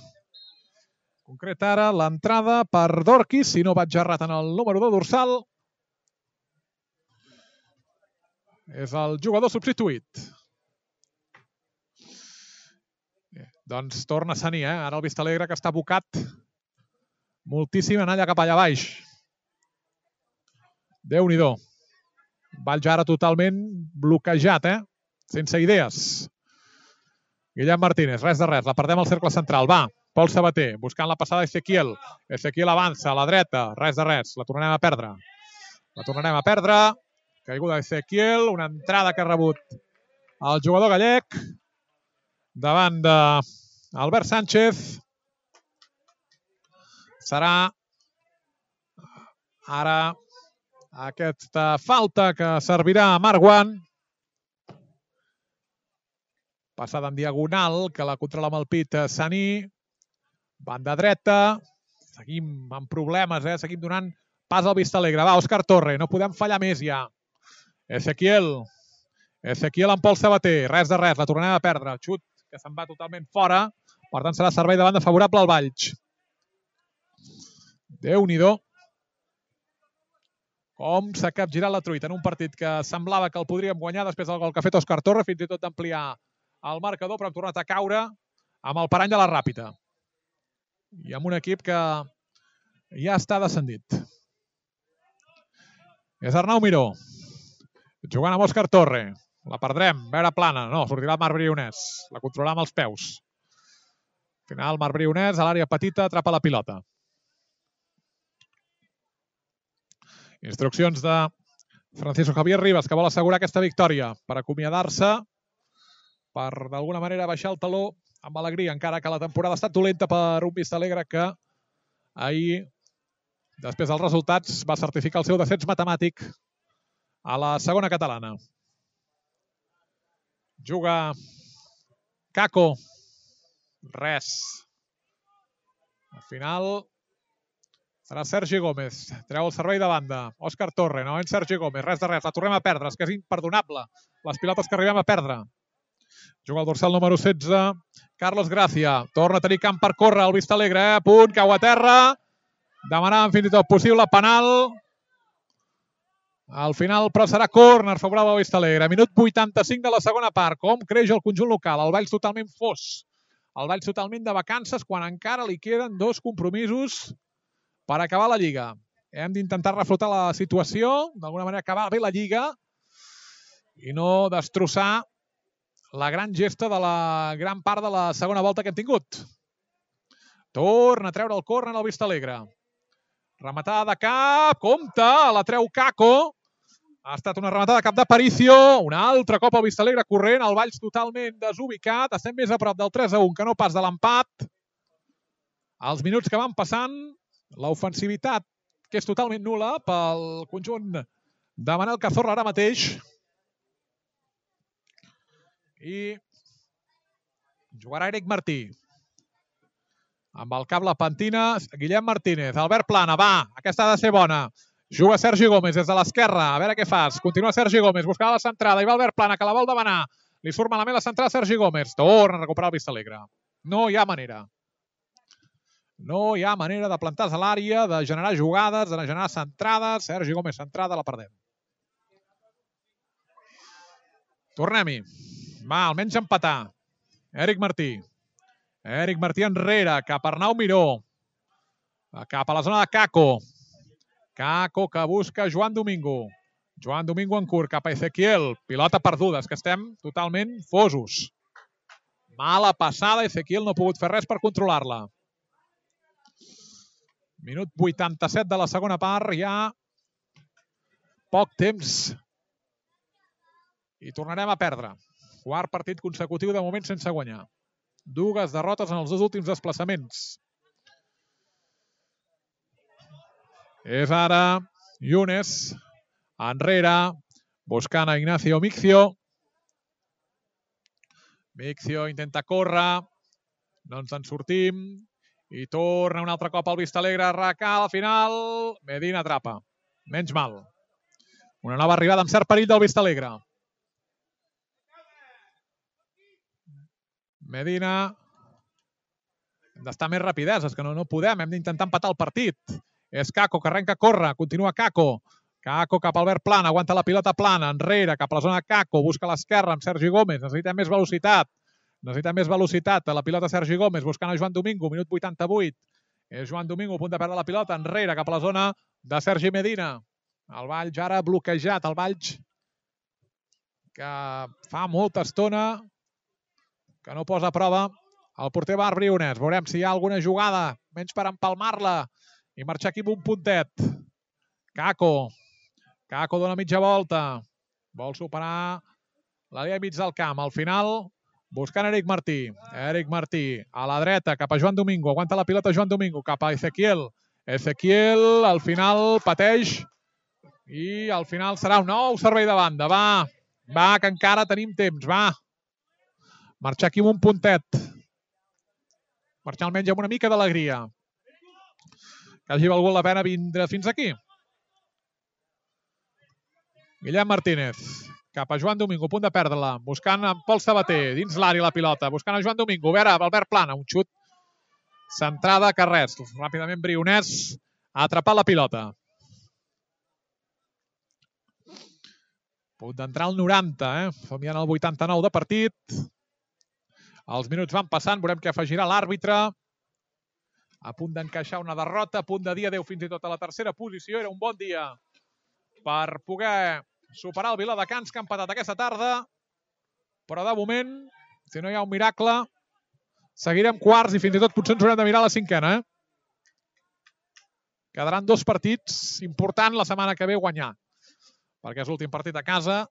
Concret ara l'entrada per Dorquis, si no vaig errat en el número de dorsal. És el jugador substituït. Bé, doncs torna a Saní, eh? Ara el Vistalegre que està abocat moltíssim en allà cap allà baix. Déu-n'hi-do. Valls ara totalment bloquejat, eh? Sense idees. Guillem Martínez, res de res, la perdem al cercle central. Va, Pol Sabater, buscant la passada Ezequiel. Ezequiel avança a la dreta, res de res, la tornarem a perdre. La tornarem a perdre. Caiguda Ezequiel, una entrada que ha rebut el jugador gallec davant d'Albert Sánchez. Serà ara aquesta falta que servirà a Marwan. Passada en diagonal, que la controla amb el pit Saní. Banda dreta. Seguim amb problemes, eh? Seguim donant pas al Vistalegre. Va, Òscar Torre, no podem fallar més ja. Ezequiel. Ezequiel amb Pol Sabater. Res de res, la tornem a perdre. Xut que se'n va totalment fora. Per tant, serà servei de banda favorable al Valls. Déu-n'hi-do. Com s'ha capgirat la truita en un partit que semblava que el podríem guanyar després del gol que ha fet Òscar Torre, fins i tot d'ampliar el marcador, però hem tornat a caure amb el parany de la Ràpita. I amb un equip que ja està descendit. És Arnau Miró. Jugant amb Òscar Torre. La perdrem. Veure plana. No, sortirà el Marc Brionès. La controlarà amb els peus. Al final, Marc Brionès a l'àrea petita atrapa la pilota. Instruccions de Francisco Javier Rivas, que vol assegurar aquesta victòria per acomiadar-se, per d'alguna manera baixar el taló amb alegria, encara que la temporada ha estat dolenta per un Vistalegre que ahir, després dels resultats, va certificar el seu descens matemàtic a la segona catalana. Juga Caco. Res. Al final serà Sergi Gómez. Treu el servei de banda. Òscar Torre, novament Sergi Gómez. Res de res. La tornem a perdre. És que és imperdonable les pilotes que arribem a perdre. Juga el dorsal número setze, Carlos Gracia. Torna a tenir camp per córrer, el Vistalegre, eh? Punt, cau a terra. Demanàvem fins i tot possible penal. Al final, però serà córner favorable al Vistalegre. Minut vuitanta-cinc de la segona part. Com creix el conjunt local? El Valls totalment fos. El Valls totalment de vacances quan encara li queden dos compromisos per acabar la Lliga. Hem d'intentar reflotar la situació, d'alguna manera acabar bé la Lliga i no destrossar la gran gesta de la gran part de la segona volta que hem tingut. Torna a treure el córner al Vistalegre. Rematada de cap, compte, la treu Kako. Ha estat una rematada de cap de Paricio. Un altre cop al Vistalegre corrent, el Valls totalment desubicat. Estem més a prop del tres a un que no pas de l'empat. Els minuts que van passant, l'ofensivitat que és totalment nul·la pel conjunt de Manel Cazorla ara mateix. I jugarà Eric Martí. Amb el cap la pentina, Guillem Martínez. Albert Plana, va, aquesta ha de ser bona. Juga Sergi Gómez des de l'esquerra, a veure què fas. Continua Sergi Gómez, buscava la centrada. I va Albert Plana, que la vol demanar. Li surt malament la centrada Sergi Gómez. Torna a recuperar el Vistalegre. No hi ha manera. No hi ha manera de plantar-se a l'àrea, de generar jugades, de generar centrades. Sergi Gómez centrada, la perdem. Tornem-hi. Va, almenys empatar. Eric Martí. Eric Martí enrere, cap a Arnau Miró. Cap a la zona de Kako. Kako que busca Joan Domingo. Joan Domingo en curt, cap a Ezequiel. Pilota perduda, és que estem totalment fosos. Mala passada, Ezequiel no ha pogut fer res per controlar-la. Minut vuitanta-set de la segona part, ja poc temps. I tornarem a perdre. Quart partit consecutiu de moment sense guanyar. Dues derrotes en els dos últims desplaçaments. És ara Yunes, enrere, buscant a Ignacio Mixio. Mixio intenta córrer, no ens en sortim, i torna un altre cop al Vistalegre, recal al final, Medina atrapa. Menys mal. Una nova arribada amb cert perill del Vistalegre. Medina. Hem d'estar més rapideses, que no, no podem. Hem d'intentar empatar el partit. És Kako, que arrenca a córrer. Continua Kako. Kako cap a Albert Plana. Aguanta la pilota Plana. Enrere, cap a la zona de Kako. Busca l'esquerra amb Sergi Gómez. Necessita més velocitat. Necessita més velocitat. La pilota Sergi Gómez buscant a Joan Domingo. Minut vuitanta-vuit. És Joan Domingo a punt de perdre la pilota. Enrere, cap a la zona de Sergi Medina. El Valls ara bloquejat. El Valls que fa molta estona que no posa a prova el porter Marc Briones. Veurem si hi ha alguna jugada, menys per empalmar-la i marxar aquí amb un puntet. Kako. Kako dona mitja volta. Vol superar la línia mig del camp. Al final, buscant Eric Martí. Eric Martí a la dreta, cap a Joan Domingo. Aguanta la pilota Joan Domingo, cap a Ezequiel. Ezequiel, al final, pateix. I al final serà un nou servei de banda. Va, va, que encara tenim temps. Va. Marxar aquí amb un puntet. Marxar almenys amb una mica d'alegria. Que hagi valgut la pena vindre fins aquí. Guillem Martínez. Cap a Joan Domingo, a punt de perdre-la. Buscant en Pol Sabater, dins l'àrea la pilota. Buscant a Joan Domingo. A veure, Albert Plana. Un xut. Centrada, que res. Ràpidament Briones ha atrapat la pilota. Punt d'entrar al noranta, eh? Som ja en el vuitanta-nou de partit. Els minuts van passant, veurem què afegirà l'àrbitre. A punt d'encaixar una derrota, a punt de dir adeu fins i tot a la tercera posició. Era un bon dia per poder superar el Viladecans, que ha empatat aquesta tarda. Però de moment, si no hi ha un miracle, seguirem quarts i fins i tot potser ens haurem de mirar la cinquena. Eh? Quedaran dos partits importants la setmana que ve guanyar, perquè és l'últim partit a casa.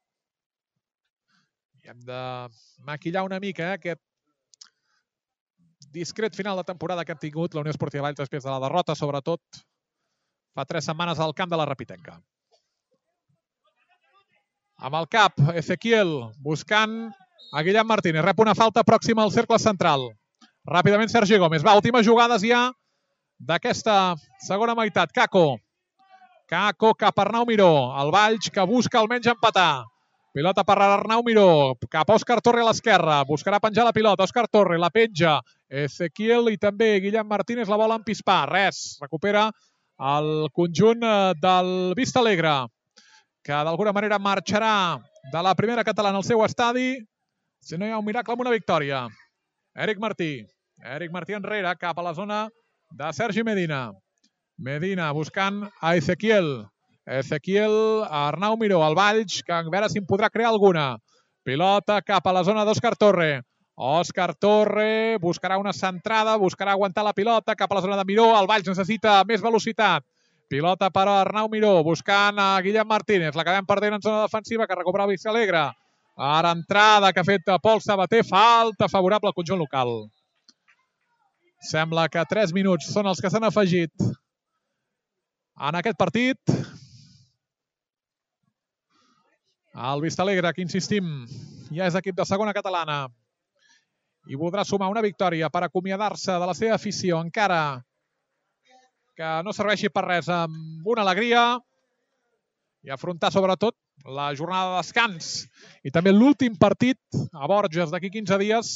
I hem de maquillar una mica eh, aquest discret final de temporada que hem tingut la Unió Esportiva Valls després de la derrota, sobretot fa tres setmanes al camp de la Rapitenca. Amb el cap, Ezequiel buscant a Guillem Martínez. Rep una falta pròxima al cercle central. Ràpidament Sergi Gómez. Va, últimes jugades ja d'aquesta segona meitat. Kako. Kako cap a Arnau Miró. El Valls que busca almenys empatar. Pilota per Arnau Miró, cap a Òscar Torre a l'esquerra, buscarà penjar la pilota, Òscar Torre la penja, Ezequiel i també Guillem Martínez la volen pispar, res, recupera el conjunt del Vista Alegre, que d'alguna manera marxarà de la primera catalana al seu estadi, si no hi ha un miracle amb una victòria. Eric Martí, Eric Martí enrere, cap a la zona de Sergi Medina. Medina buscant a Ezequiel. Ezequiel, Arnau Miró, al Valls, que a veure si en podrà crear alguna. Pilota cap a la zona d'Òscar Torre. Òscar Torre buscarà una centrada, buscarà aguantar la pilota cap a la zona de Miró. El Valls necessita més velocitat. Pilota per a Arnau Miró, buscant a Guillem Martínez. L'acabem perdent en zona defensiva, que recupera el Vista Alegre. Ara entrada que ha fet Pol Sabater, falta favorable al conjunt local. Sembla que tres minuts són els que s'han afegit en aquest partit. El Vista Alegre, que insistim, ja és equip de segona catalana i voldrà sumar una victòria per acomiadar-se de la seva afició, encara que no serveixi per res, amb una alegria i afrontar sobretot la jornada de descans i també l'últim partit a Borges d'aquí quinze dies,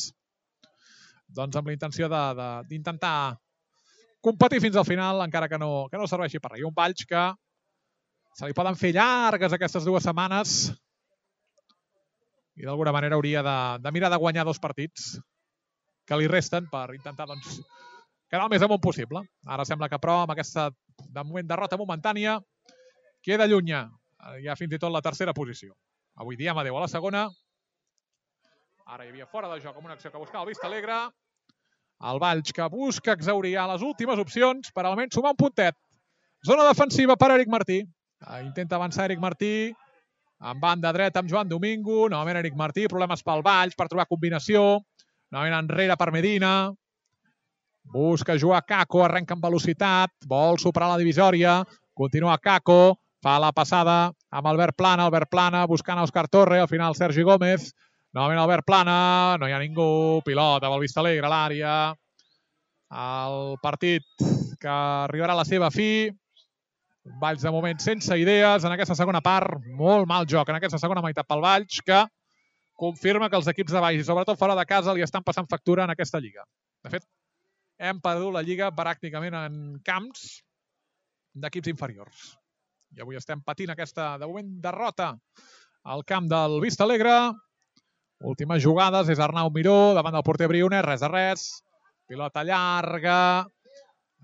doncs amb la intenció d'intentar competir fins al final, encara que no, que no serveixi per res. I un Valls que se li poden fer llargues aquestes dues setmanes i d'alguna manera hauria de, de mirar de guanyar dos partits que li resten per intentar doncs, quedar el més amunt possible. Ara sembla que però amb aquesta de moment derrota momentània queda llunya ja fins i tot la tercera posició. Avui diem adeu a la segona. Ara hi havia fora de joc amb una acció que buscava el Vista Alegre. El Valls que busca exaurir les últimes opcions per almenys sumar un puntet. Zona defensiva per Eric Martí. Intenta avançar Eric Martí en banda dreta amb Joan Domingo. Novament Eric Martí, problemes pel Valls per trobar combinació. Novament enrere per Medina. Busca jugar Caco, arrenca amb velocitat. Vol superar la divisòria. Continua Caco. Fa la passada amb Albert Plana. Albert Plana buscant Òscar Torre. Al final Sergi Gómez. Novament Albert Plana. No hi ha ningú. Pilota pel Vista Alegre a l'àrea. El partit que arribarà a la seva fi. Valls de moment sense idees en aquesta segona part. Molt mal joc en aquesta segona meitat pel Valls, que confirma que els equips de Valls, i sobretot fora de casa, li estan passant factura en aquesta lliga. De fet, hem perdut la lliga pràcticament en camps d'equips inferiors. I avui estem patint aquesta, de moment, derrota al camp del Vista Alegre. Últimes jugades, és Arnau Miró davant del porter Briones, res de res. Pilota llarga,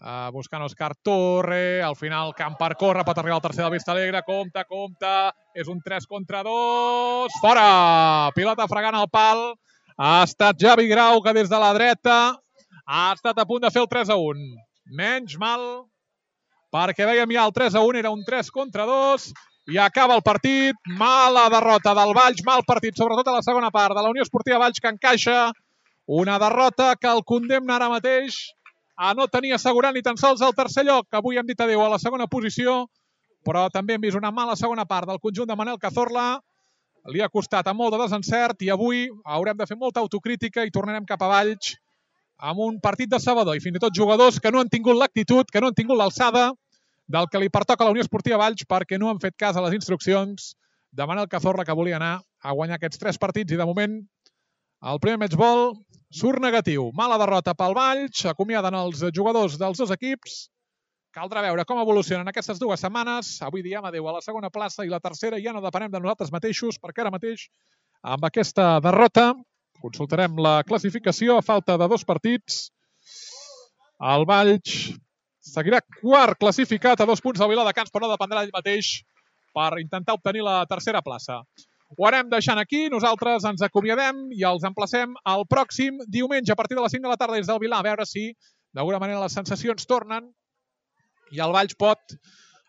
uh, buscant Òscar Torre, al final camp per córrer, pot arribar al tercer del Vista Alegre, compte, compte, és un tres contra dos, fora! Pilota fregant al pal, ha estat Javi Grau, que des de la dreta ha estat a punt de fer el tres a un. Menys mal, perquè veiem ja el tres a un, era un tres contra dos, i acaba el partit. Mala derrota del Valls, mal partit, sobretot a la segona part de la Unió Esportiva Valls, que encaixa una derrota que el condemna ara mateix a no tenir assegurat ni tan sols el tercer lloc. Avui hem dit adeu a la segona posició, però també hem vist una mala segona part del conjunt de Manel Cazorla. Li ha costat amb molt de desencert i avui haurem de fer molta autocrítica i tornarem cap a Valls amb un partit decebedor i fins i tot jugadors que no han tingut l'actitud, que no han tingut l'alçada del que li pertoca a la Unió Esportiva Valls, perquè no han fet cas a les instruccions de Manel Cazorla, que volia anar a guanyar aquests tres partits i de moment el primer matchball surt negatiu. Mala derrota pel Valls, acomiaden els jugadors dels dos equips. Caldrà veure com evolucionen aquestes dues setmanes. Avui diem adeu a la segona plaça i la tercera ja no depenem de nosaltres mateixos, perquè ara mateix amb aquesta derrota consultarem la classificació a falta de dos partits. El Valls seguirà quart classificat a dos punts del Viladecans, però no dependrà d'ell mateix per intentar obtenir la tercera plaça. Ho anem deixant aquí, nosaltres ens acomiadem i els emplacem el pròxim diumenge a partir de les cinc de la tarda des del Vilà, a veure si d'alguna manera les sensacions tornen i el Valls pot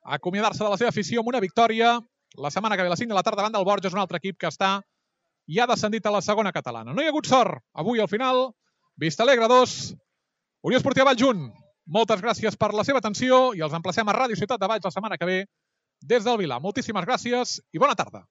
acomiadar-se de la seva afició amb una victòria la setmana que ve a les cinc de la tarda davant del Borges, un altre equip que està ja descendit a la segona catalana. No hi ha hagut sort. Avui al final, Vista Alegre dos, Unió Esportiva Valls un. Moltes gràcies per la seva atenció i els emplacem a Ràdio Ciutat de Valls la setmana que ve des del Vilà. Moltíssimes gràcies i bona tarda.